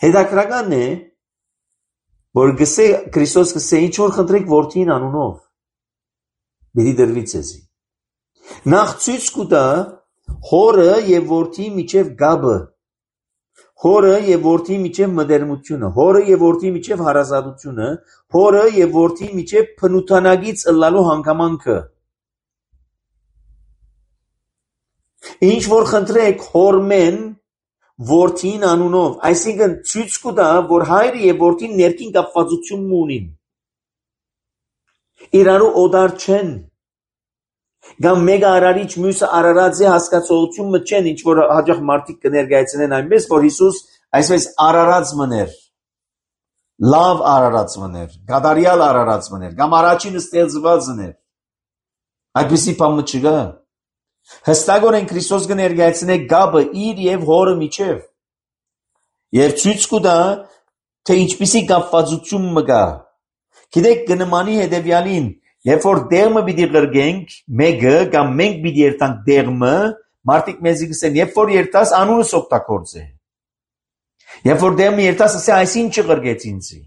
Հետաքրքրական է, որ գսե Քրիստոս գսե ինչ որ խնդրեք որդին անունով, պիտի դրվի ցեզի։ Նախ ցույց կտա հորը եւ որդի միջև գաբը, հորը եւ որդի միջև մտերմությունը, հորը եւ որդի միջև հարազատությունը, հորը եւ որդի միջև փնութանագից ըլլալու հանգամանքը։ Ինչ որ խնդրեք հորմեն որդին անունով, այսինքն ցույց կտա, որ հայրը եւ որդին ներքին կապվածություն ունին։ Իրարու օդար չեն։ Կամ մեկը արարիչ մյուսը արարած է հասկացողությունը չեն, ինչ որ հաճախ մարդիկ կներկայացնեն այնպես, որ Հիսուս այսպես արարած մներ, լավ արարած մներ, գադարյալ արարած մներ, կամ առաջինը ստեղծված մներ։ Այդպիսի բան չկա։ Հստակորեն Քրիստոս կներկայացնե գաբը իր եւ հորը միջև։ Եվ ցույց կտա, թե ինչպիսի կապվածություն մկա։ Գիտեք, կնմանի հետևյալին, երբ որ դեղմը պիտի գրգենք, մեկը կամ մենք պիտի երթանք դեղմը, մարդիկ մեզի կսեն, երբ որ երթաս անունս օգտագործե։ Երբ որ դեղմը երթաս ասե այսինչը գրգեց ինձի։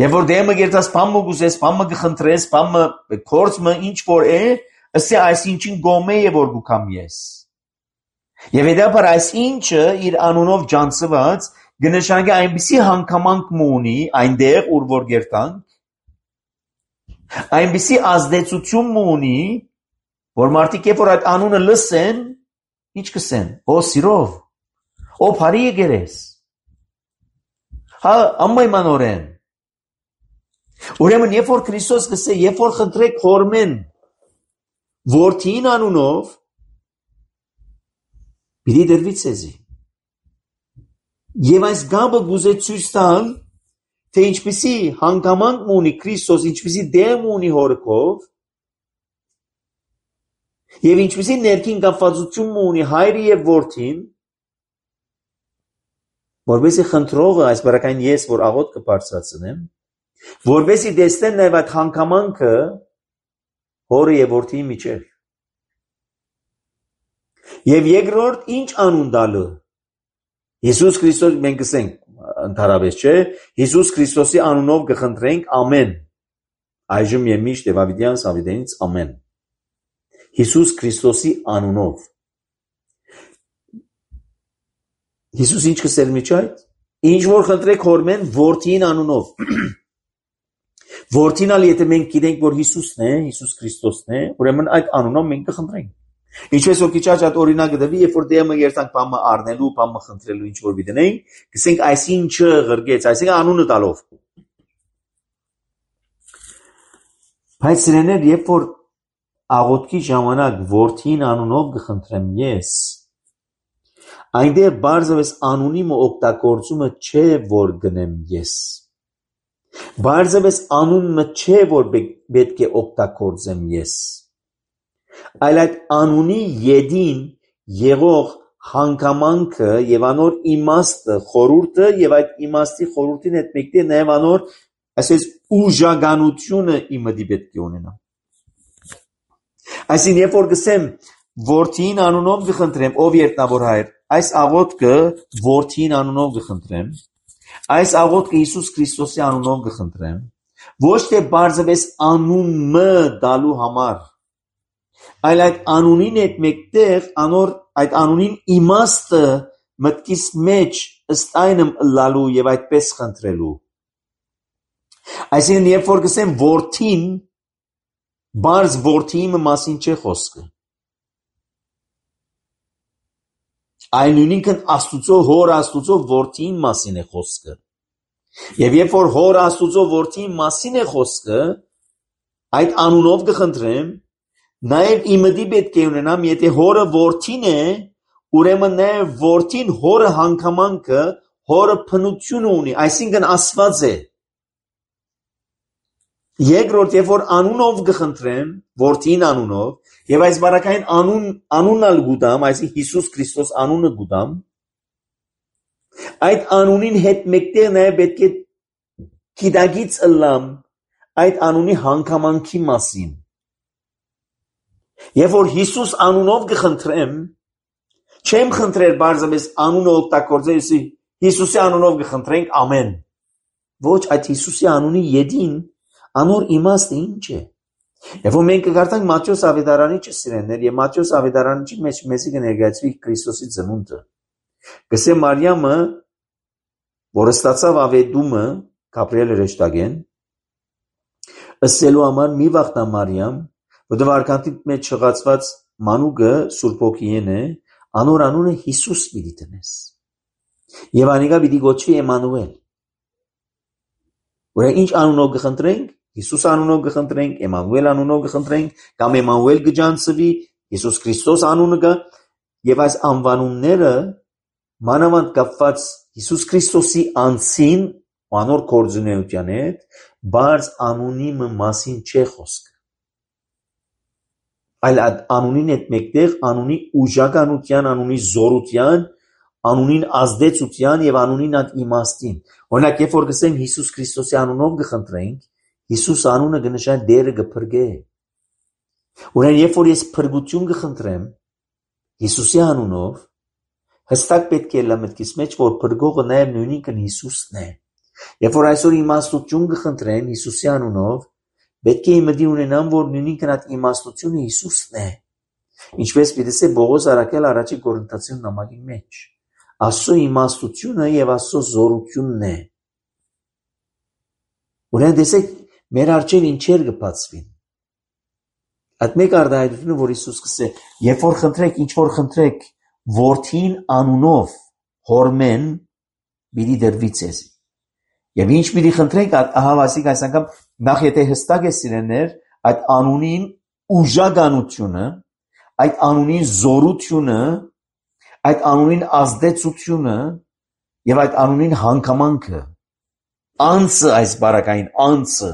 Երբ որ դեղմը երթաս բամը գուզես, բամը կխնդրես, բամը կորցմը ինչ որ է, ասե այսինչին գոմե է որ գուքամ ես։ Եվ հետապար այսինչը իր անունով ջանցված գնշանգի այնպիսի հանգամանք մունի այնտեղ ուր որ երթանք, այնպիսի ազդեցություն ունի, որ մարդիկ երբ որ այդ անունը լսեն, ինչ կսեն, օ սիրով, օ բարի եկերես, հա ամայմանորեն։ Ուրեմն երբ որ Քրիստոս կսե, երբ որ խնդրեք հորմեն, որդին անունով պիտի դրվի ցեզի։ Եվ այս գաբը գուզե ցույց տալ, թե ինչպիսի հանգամանք ունի Քրիստոս, ինչպիսի դեմ ունի հորքով, եւ ինչպիսի ներքին կապվածություն ունի հայրը եւ որդին, որովհետեւ խնդրողը այս բարակային ես, որ աղոտ կբարձրացնեմ, որովհետեւ դեսնեն նաեւ այդ հանգամանքը հորը եւ որդիի միջեւ։ Եվ երկրորդ ինչ անուն տալը։ Հիսուս Քրիստոս մենք կսենք ընդհանրապես չէ, Հիսուս Քրիստոսի անունով կխնդրենք ամեն։ Այժմ եւ միշտ եւ ավիդյան Սավիդենից ամեն։ Հիսուս Քրիստոսի անունով։ Հիսուս ինչ կսել միջ այդ։ Ինչ որ խնդրեք հորմեն որդին անունով։ Որդին ալ եթե մենք գիտենք որ Հիսուսն է, Հիսուս Քրիստոսն է, ուրեմն այդ անունով մենք կխնդրենք։ Ինչպես որ քիչ առաջ օրինակը դվի, երբ որ դեմը երթանք բամը առնելու, բամը խնդրելու ինչ որ դինենք, կսենք այսինչը ղրգեց, այսինքն անունը տալով։ Բայց սրաներ երբ որ աղոթքի ժամանակ որդին անունով կխնդրեմ ես, այնտեղ բարձրապես անունի օգտագործումը չէ որ գնեմ ես։ Բարձրապես անունը չէ որ պետք է օգտագործեմ ես։ Այլ այդ անունի յետին եղող հանգամանքը եւ անոր իմաստը, խորհուրդը եւ այդ իմաստի խորհրդին հետ մեկտեղ նաեւ անոր այսպես ուժականությունը իմը պետք է ունենա։ Այսինքն երբ որ գսեմ որդին անունով կխնդրեմ, ով երտնավոր հայր, այս աղոթքը որդին անունով կխնդրեմ, այս աղոթքը Հիսուս Քրիստոսի անունով կխնդրեմ, ոչ թե բարձրապես անունը դալու համար, այլ այդ անունին հետ մեկտեղ անոր այդ անունին իմաստը մտքիս մեջ ըստ այնմ լալու եւ այդպես խնդրելու։ Այսինքն երբ որ գսեմ որդին, բարձ որդիի մասին չէ խոսքը։ Այն նույնքն Աստուծո հոր Աստուծո որդին մասին է խոսքը։ Եվ երբ որ հոր Աստուծո որդին մասին է խոսքը, այդ անունով կխնդրեմ, նաև իմդի պետք է ունենամ, եթե հորը որդին է, ուրեմն նաև որդին հորը հանգամանքը, հորը փնություն ունի, այսինքն Աստված է։ Երկրորդ, երբ որ անունով կխնդրեմ, որդին անունով, եւ այս բարակային անուն անունալ գուտամ, այսինքն Հիսուս Քրիստոս անունը գուտամ, այդ անունին հետ մեկտեղ նաև պետք է գիտակից ըլլամ այդ անունի հանգամանքի մասին։ Երբ որ Հիսուս անունով կխնդրեմ, չեմ խնդրել բարձրապես անունը օգտագործել, Հիսուսի անունով կխնդրենք ամեն։ Ոչ, այդ Հիսուսի անունի յետին անոր իմաստը ինչ է։ Եվ որ մենք կգարտանք Մատթեոս Ավետարանիչը սիրելիներ, եւ Մատթեոս Ավետարանիչի մեջ մեզի կներկայացվի Քրիստոսի ծնունդը։ Գսե Մարիամը, որը ստացավ ավետումը Գաբրիել հրեշտակեն, ըսելու համար մի վախտա Մարիամ, որտեղ արքանտի մեջ չղացված մանուկը Սուրբ Հոգին է, անոր անունը Հիսուս պիտի տնես։ Եվ անիկա պիտի գոչվի Էմանուել։ Ուրեմն ինչ անունով կխնդրենք, Հիսուս անունով կխնդրենք, Էմանուել անունով կխնդրենք, կամ Էմանուել կջանցվի, Հիսուս Քրիստոս անունը կա, եւ այս անվանումները մանավանդ կապված Հիսուս Քրիստոսի անձին, անոր կորձունեության հետ, բարձ անունի մասին չէ խոսքը։ Այլ անունին հետ մեկտեղ անունի ուժականության, անունի զորության, անունին ազդեցության եւ անունին այդ իմաստին։ Օրինակ, երբ որ գսենք Հիսուս Քրիստոսի անունով կխնդրենք, Հիսուս անունը կնշանակի դերը կփրկե։ Ուրեմն երբ որ ես փրկություն կխնդրեմ Հիսուսի անունով, հստակ պետք է լա մտքիս մեջ, որ փրկողը նաեւ նույնքն Հիսուսն է։ Երբ որ այսօր իմաստություն կխնդրեմ Հիսուսի անունով, պետք է իմդի ունենամ, որ նույնքն այդ իմաստությունը Հիսուսն է։ Ինչպես պիտի Բողոս Արաքել առաջի Կորինթացին նամակի մեջ։ Աստծո իմաստությունը եւ Աստծո զորությունն է։ Ուրեմն դեսեք մեր արջև ինչեր կբացվին։ Այդ մեկ արտահայտությունը, որ Հիսուս կսե, երբ որ խնդրեք, ինչ որ խնդրեք, որդին անունով հորմեն պիտի դրվի ցեզ։ Եվ ինչ պիտի խնդրենք, ահա ասիկ այս անգամ նախ եթե հստակ է սիրելներ, այդ անունին ուժականությունը, այդ անունի զորությունը, այդ անունին ազդեցությունը եւ այդ անունին հանգամանքը, անձը այս բարակային անձը,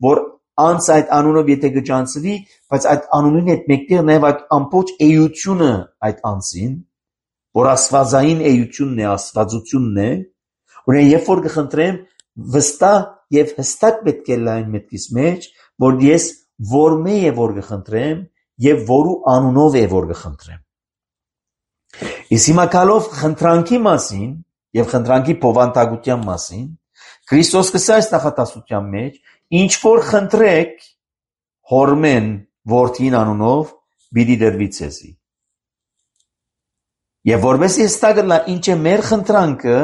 որ անձը այդ անունով եթե գճանցվի, բայց այդ անունին հետ մեկտեղ նաեւ այդ ամբողջ էությունը այդ անձին, որ աստվածային էությունն է, աստվածությունն է, ուրեմն երբ որ կխնդրեմ վստահ եւ հստակ պետք է լայն մտքիս մեջ, որ ես որմե է որ կխնդրեմ եւ որու անունով է որ կխնդրեմ։ Իսկ հիմա գալով խնդրանքի մասին եւ խնդրանքի փոխանցության մասին, Քրիստոս կսա այս նախատասության մեջ, ինչ որ խնդրեք հորմեն որդին անունով պիտի դրվի ցեզի։ Եվ որովհետեւ հստակ լա ինչ է մեր խնդրանքը,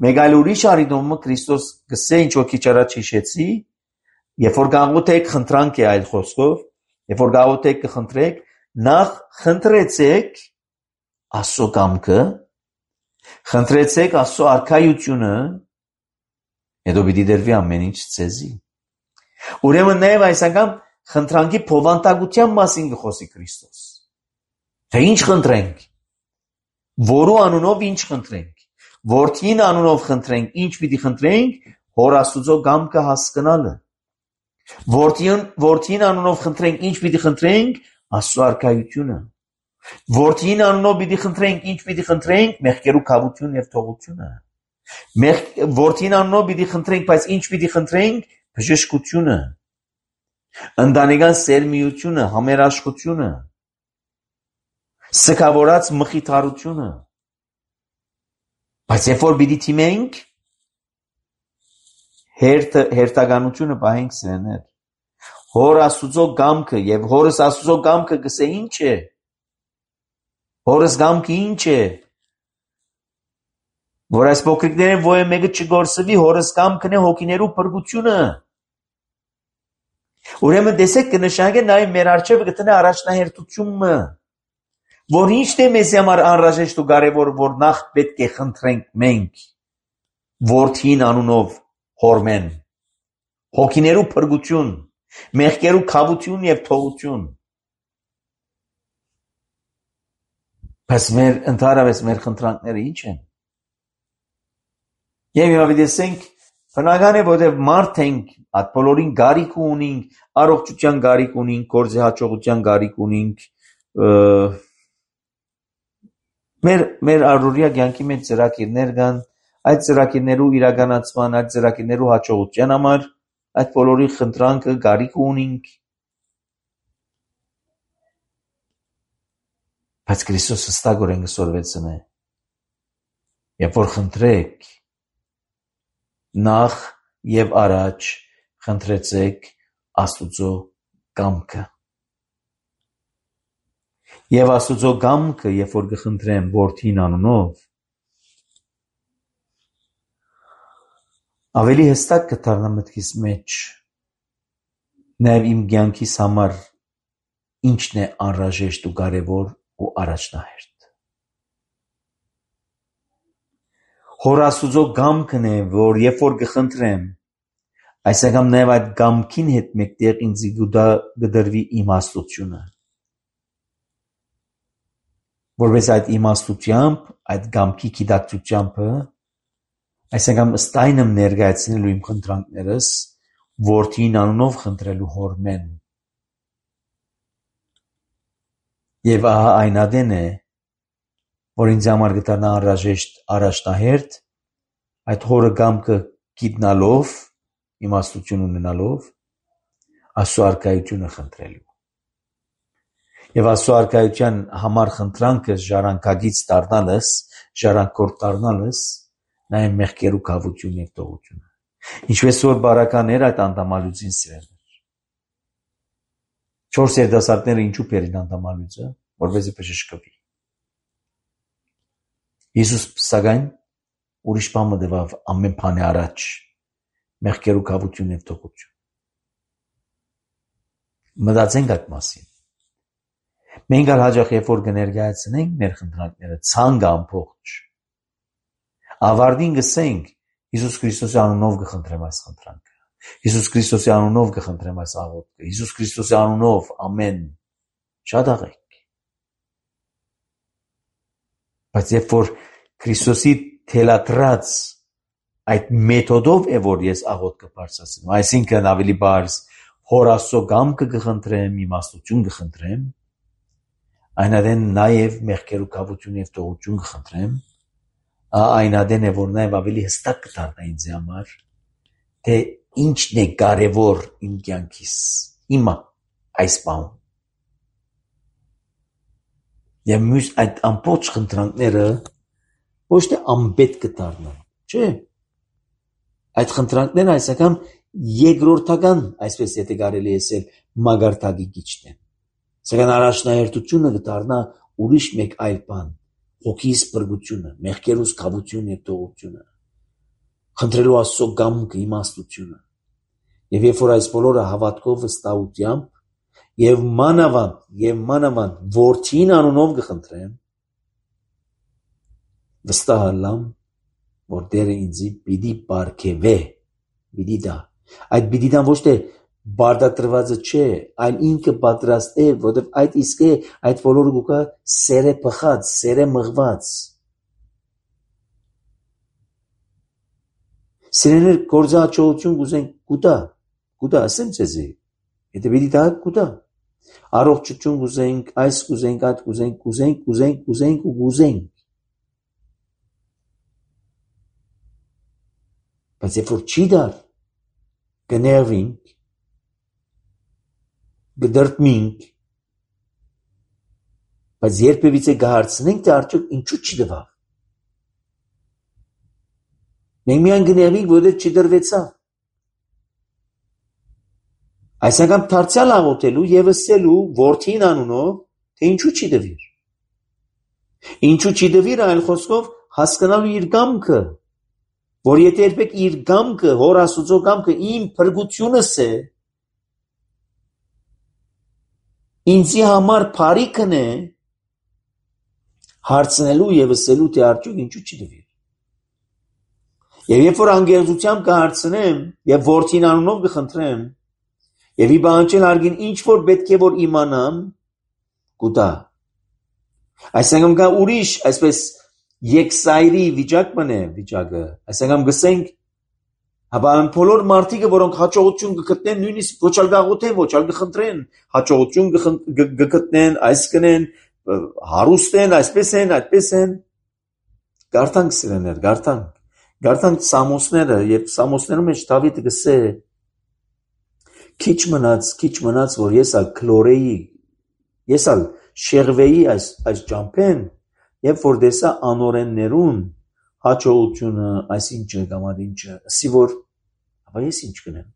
մեկ այլ ուրիշ արիդոմը Քրիստոս կսե ինչ որ քիչ առաջ հիշեցի, երբ որ գաղութեք խնդրանք է այլ խոսքով, երբ որ գաղութեք կխնդրեք, նախ խնդրեցեք Աստծո կամքը, խնդրեցեք Աստծո արքայությունը, հետո պիտի դրվի ամեն ինչ ցեզի։ Ուրեմն նաև այս անգամ խնդրանքի փոխանցության մասին կխոսի Քրիստոս։ Թե ինչ խնդրենք, որու անունով ինչ խնդրենք, որդին անունով խնդրենք, ինչ պիտի խնդրենք, Հոր Աստծո կամքը հասկանալը։ Որդին որդին անունով խնդրենք, ինչ պիտի խնդրենք, Աստծո արքայությունը։ Որդին անունով պիտի խնդրենք, ինչ պիտի խնդրենք, մեղքերու քավություն եւ թողությունը։ Որդին անունով պիտի խնդրենք, բայց ինչ պիտի խնդրենք, բժշկությունը, ընտանեկան սերմիությունը, համերաշխությունը, սքավորած մխիթարությունը։ Բայց երբ որ պիտի թիմենք, հերթականությունը պահենք սրեներ։ Հոր Աստծո կամքը եւ Հորս Աստծո կամքը գսե ինչ է։ Հորս կամքը ինչ է։ Որ այս փոքրիկները ո՞ե մեկը չգործվի, Հորս կամքն է հոգիներու փրկությունը։ Ուրեմն տեսեք կնշանակե նաեւ մեր արժեքը գտնե առաջնահերթությունը, որ ինչ է մեզ համար անհրաժեշտ ու կարեւոր, որ նախ պետք է խնդրենք մենք որդին անունով հորմեն, հոգիներու փրկություն, մեղքերու քավություն եւ թողություն։ Բայց մեր ընդհանրապես մեր խնդրանքները ինչ են։ Եվ հիմա դեսենք, բնական է, որովհետև մարդ ենք, այդ բոլորին գարիք ունենք, առողջության գարիք ունենք, գործի հաջողության գարիք ունենք, մեր մեր առօրյա կյանքի մեջ ծրագիրներ կան, այդ ծրագիրներու իրականացման, այդ ծրագիրներու հաջողության համար այդ բոլորի խնդրանքը գարիք ունենք։ Բայց Քրիստոս հստակորեն կսորվեցն է։ Երբ որ խնդրեք, նախ եւ առաջ խնդրեցեք Աստծո կամքը։ Եվ Աստծո կամքը, երբ որ կխնդրեմ որդին անունով, ավելի հստակ կդառնա մտքիս մեջ, նաեւ իմ կյանքիս համար ինչն է անհրաժեշտ ու կարեւոր ու առաջնահերթ։ Հոր Աստծո կամքն է, որ երբ որ կխնդրեմ, այս անգամ նաեւ այդ կամքին հետ մեկտեղ ինձ կդրվի իմաստությունը։ Որպես այդ իմաստությամբ, այդ կամքի գիտակցությամբ, այս անգամ ըստ այն եմ ներկայացնելու իմ խնդրանքներս, որդին անունով խնդրելու հորմեն։ Եվ ահա այն ադեն է, որ ինձ համար կդառնա անհրաժեշտ առաջնահերթ, այդ հորը կամքը գիտնալով, իմաստություն ունենալով, Աստծո արքայությունը խնդրելու։ Եվ Աստծո արքայության համար խնդրանքը ժառանգագից դառնալս, ժառանգորդ դառնալս, նաեւ մեղքերու քավություն եւ թողությունը։ Ինչպես որ բարականներ այդ անդամալուծին սիրելներ։ Չորս երիտասարդները ինչու բերին անդամալուծը, որպեսզի բժշկվի։ Հիսուս սակայն ուրիշ բան մտավ ամեն բանի առաջ, մեղքերու քավություն եւ թողություն։ Մտածենք այդ մասին։ Մենք ալ հաջող երբ որ կներկայացնենք մեր խնդրանքները ցանկը ամբողջ, ավարտին գսենք Հիսուս Քրիստոսի անունով կխնդրեմ այս խնդրանքը։ Հիսուս Քրիստոսի անունով կխնդրեմ այս աղոթքը։ Հիսուս Քրիստոսի անունով ամեն շատ աղեք։ Բայց երբ որ Քրիստոսի թելադրած այդ մեթոդով է որ ես աղոթքը բարձրացնում, այսինքն ավելի բարձ Հոր Աստծո կամքը կխնդրեմ, իմաստություն կխնդրեմ, այնադեն նաև մեղքեր ու կավություն եւ տողություն կխնդրեմ, այնադեն է որ նաև ավելի հստակ կդառնա ինձ համար, թե ինչն է կարևոր իմ կյանքիս, իմը այս բանում։ Եվ մյուս այդ ամբողջ խնդրանքները ոչ թե անպետք կդառնան, չէ։ Այդ խնդրանքները այսական երկրորդական, այսպես եթե կարելի է ասել, մագարտակի գիչն են։ Սակայն առաջնահերթությունը կդառնա ուրիշ մեկ այլ բան, հոգիս բրգությունը, մեղքերուս կավություն եւ տողությունը, խնդրելու Աստծո կամքը, իմաստությունը։ Եվ երբ որ այս բոլորը հավատքով վստահությամբ եւ մանավանդ եւ մանավանդ որդին անունով կխնդրեմ, վստահ ալամ, որ Տերը ինձի պիտի բարգեւե, պիտի դա։ Այդ պիտի դա ոչ թե բարդատրվածը չէ, այլ ինքը պատրաստ է, որովհետև այդ իսկ է, այդ բոլորը գուկա սերը փխած, սերը մղված։ Սերեներ գործը հաջողություն կուզենք կուտա, կուտա, ասեմ ձեզի, եթե պիտի դա կուտա։ Առողջություն կուզենք, այս կուզենք, այդ կուզենք, կուզենք, կուզենք, կուզենք ու կուզենք։ Բայց երբ որ չի դար, կներվինք, կդրտմինք, բայց երբևիցե կհարցնենք, թե արդյոք ինչու չդվավ։ Մենք միայն կներվինք, որովհետև չդրվեցավ։ Այս անգամ դարձյալ աղոթելու եւ ասելու որդին անունով, թե ինչու չի դվիր։ Ինչու չի դվիր, այլ խոսքով հասկանալու իր կամքը, որ եթե երբեք իր կամքը, Հոր Աստծո կամքը իմ փրկությունս է, ինձի համար բարիքն է, հարցնելու եւ ասելու, թե արդյոք ինչու չի դվիր։ Եվ երբ որ անգերությունությամբ կհարցնեմ եւ որդին անունով կխնդրեմ, եւ ի բանջել արգին ինչ որ պետք է որ իմանամ, կուտա։ Այս անգամ կա ուրիշ, այսպես եկսայրի վիճակ մնե վիճակը, այս անգամ գսենք, հապա այն բոլոր մարդիկը, որոնք հաջողություն կգտնեն, նույնիսկ ոչ ալ գաղութեն, ոչ ալ կխնդրեն, հաջողություն կգտնեն, այս կնեն, հարուստ են, այսպես են, այդպես են, գարտանք սիրեներ, գարտանք, գարտանք Սամոսները, երբ Սամոսներում մեջ Դավիթը գսե, քիչ մնաց, քիչ մնաց, որ ես ալ քլորեի, ես ալ շեղվեի այս, այս ճամփեն, երբ որ դեսա անորեններուն հաջողությունը, այսինչը կամ այնինչը, ասի որ, ապա ես ինչ կնեմ,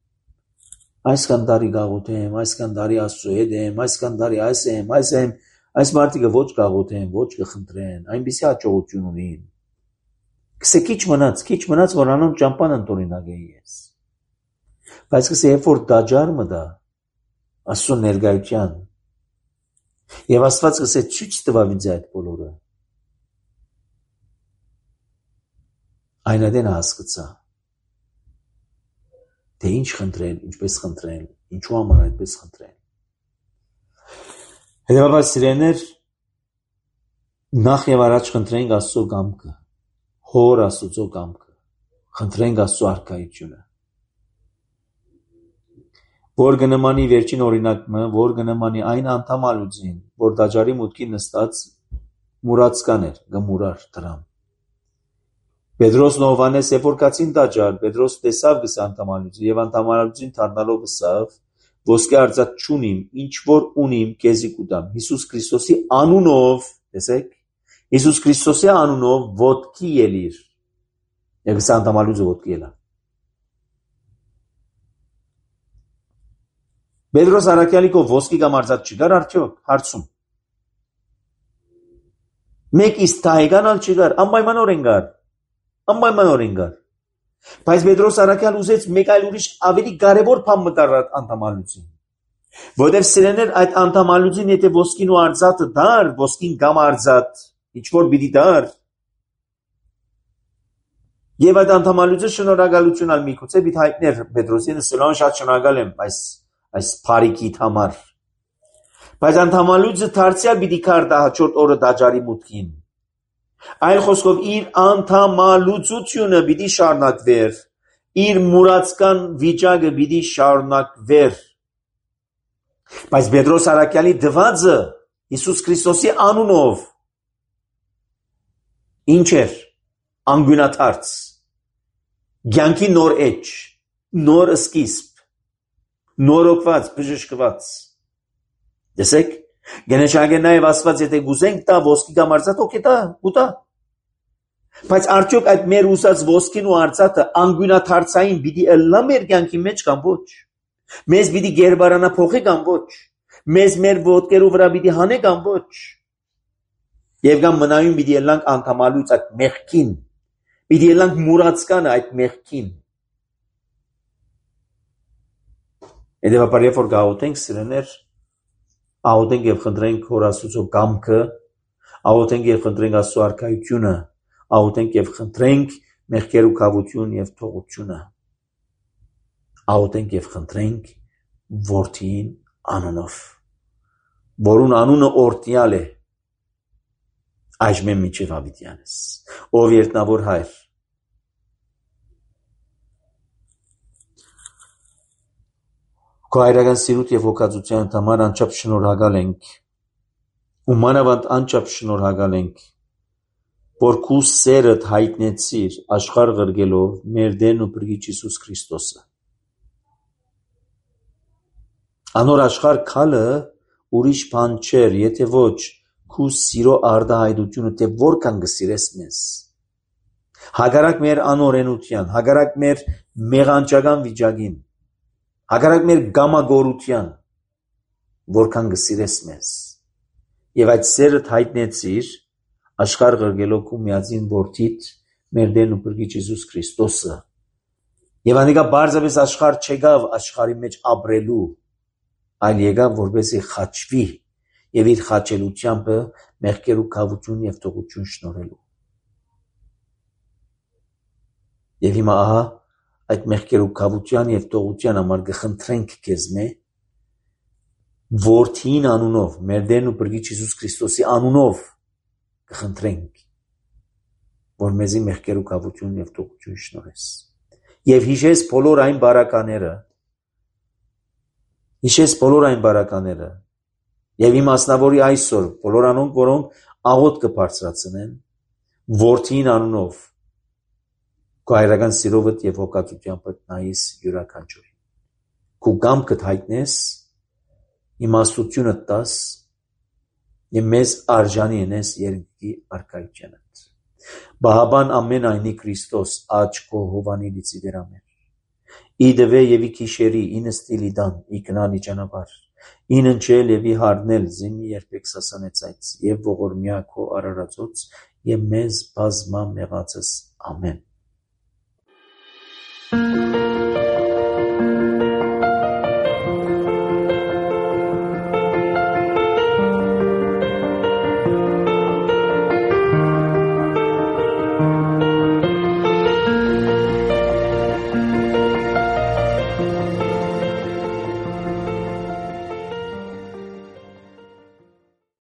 այսքան տարի գաղութեմ, այսքան տարի Աստծո հետ եմ, այսքան տարի այս եմ, այս եմ, այս մարդիկը ոչ գաղութեն, ոչ կխնդրեն, այնպիսի հաջողություն ունին, կսե քիչ մնաց, քիչ մնաց, որ անոն ճամփան ընտորինակ էի ես, բայց կսե երբ որ դաջար մտա, Աստծո ներկայության, եւ Աստված կսե ցույց տվավ ինձ այդ բոլորը, այնադեն հասկացա, թե ինչ խնդրել, ինչպես խնդրել, ինչու համար այդպես խնդրել։ Հետևաբար սիրելիներ, նախ եւ առաջ խնդրենք Աստծո կամքը, Հոր Աստծո կամքը, խնդրենք Աստծո արքայությունը, որ կնմանի վերջին օրինակը, որ կնմանի այն անդամալուծին, որ դաջարի մուտքի նստած մուրացկան էր, գմուրար դրամ։ Պետրոսն ու Հովհաննես երբ որ կացին դաջար, Պետրոս տեսավ գս անդամալուծին եւ անդամալուծին դառնալով ասավ, ոսկե արծաթ չունիմ, ինչ որ ունիմ, քեզի կուտամ։ Հիսուս Քրիստոսի անունով, տեսեք, Հիսուս Քրիստոսի անունով ոտքի ելիր։ Եվ գս անդամալուծը ոտքի ելա։ Պետրոս Արաքյալիկով ոսկի կամ արծաթ չկար արդյոք, հարցում։ Մեկ իսկ տայգանալ չկար, անպայմանորեն կար, անպայմանորեն կար։ Բայց Պետրոս Արաքյալ ուզեց մեկ այլ ուրիշ ավելի կարևոր բան մտար անդամալուծին։ Որտեւ սիրեներ այդ անդամալուծին եթե ոսկին ու արծաթը դար, ոսկին կամ արծաթ, ինչ որ պիտի դար, Եվ այդ անդամալուծը շնորհակալություն ալ միգուցե պիտի հայտներ Պետրոսին սլան շատ շնորհակալ եմ այս այս բարիքիդ համար։ Բայց անդամալուծը դարձյալ պիտի կար դա հաջորդ օրը դաջարի մուտքին։ Այլ խոսքով իր անդամալուծությունը պիտի շարունակվեր, իր մուրացկան վիճակը պիտի շարունակվեր։ Բայց Պետրոս Արաքյալի դվածը Հիսուս Քրիստոսի անունով ինչ էր անգյունաթարց, կյանքի նոր էջ, նոր սկիզբ, նորոգված, բժշկված։ Տեսեք, գենեշագեն նաև ասված, եթե գուզենք տա ոսկի կամ արծաթ, օքե տա, ուտա։ Բայց արդյոք այդ մեր ուզած ոսկին ու արծաթը անգյունաթարցային պիտի ըլլա մեր կյանքի մեջ կամ ոչ։ Մեզ պիտի գերբարանա փոխի կամ ոչ։ Մեզ մեր ոտքերու վրա պիտի հանե կամ ոչ։ Եվ կամ մնայուն պիտի ելանք անդամալուց այդ մեղքին, պիտի ելանք մուրացկանը այդ մեղքին։ Հետևաբար երբ որ գաղութենք սիրեներ, աղոթենք եւ խնդրենք Հոր Աստծո կամքը, աղոթենք եւ խնդրենք Աստծո արքայությունը, աղոթենք եւ խնդրենք մեղքեր ու քավություն եւ թողությունը, աղոթենք եւ խնդրենք Որդին անունով, որուն անունը օրհնյալ է այժմ մինչև հավիտյանս, ով երտնավոր հայր, քո հայրական սիրուտ եւ հոգացության համար անչափ շնորհակալ ենք, ու մանավանդ անչափ շնորհակալ ենք, որ քու սերդ հայտնեցիր աշխարհ ղրգելով մեր Տերն ու Փրկիչ Հիսուս Քրիստոսը։ Անոր աշխարհ քալը ուրիշ բան չէր, եթե ոչ քու սիրո արդահայտությունը, թե որքան կսիրես մեզ։ Հակառակ մեր անօրենության, հակառակ մեր մեղանչական վիճակին, հակառակ մեր գամագորության, որքան կսիրես մեզ։ Եվ այդ սերը հայտնեցիր աշխարհ ղրգելով քու միածին որդիդ մեր Տերն ու Փրկիչ Հիսուս Քրիստոսը։ Եվ անիկա բարձրապես աշխարհ չեկավ աշխարհի մեջ ապրելու, այլ եկավ որպեսզի խաչվի եւ իր խաչելությամբ մեղքեր ու քավություն եւ թողություն շնորհելու։ Եվ հիմա ահա այդ մեղքեր ու քավության եւ թողության համար կխնդրենք քեզ մե Որդին անունով, մեր Տերն ու Փրկիչ Հիսուս Քրիստոսի անունով կխնդրենք, որ մեզի մեղքեր ու քավություն եւ թողություն շնորհես։ Եվ հիշես բոլոր այն բարակաները, հիշես բոլոր այն բարակաները, եւ իմաստնավորի այսօր բոլոր անոնք, որոնք աղոթ կբարձրացնեն Որդին անունով, քո հայրական սիրովդ եւ հոգացությամբ նայես յուրաքանչյուրին։ Քու կամքդ հայտնես, իմաստությունը տաս եւ մեզ արժանի ենես երկի արքայությանդ։ Բահաբան ամեն այնի Քրիստոս աչ քո հովանի լիցի դերամեր։ Իդվե եւ ի քիշերի ինստիլի դան իքնանի ճանապար։ Ինընչել եւ ի հարնել զինի երբեք սասանեցայց եւ ողորմյա քո արարածոց եւ մեզ բազմա մեղածս ամեն։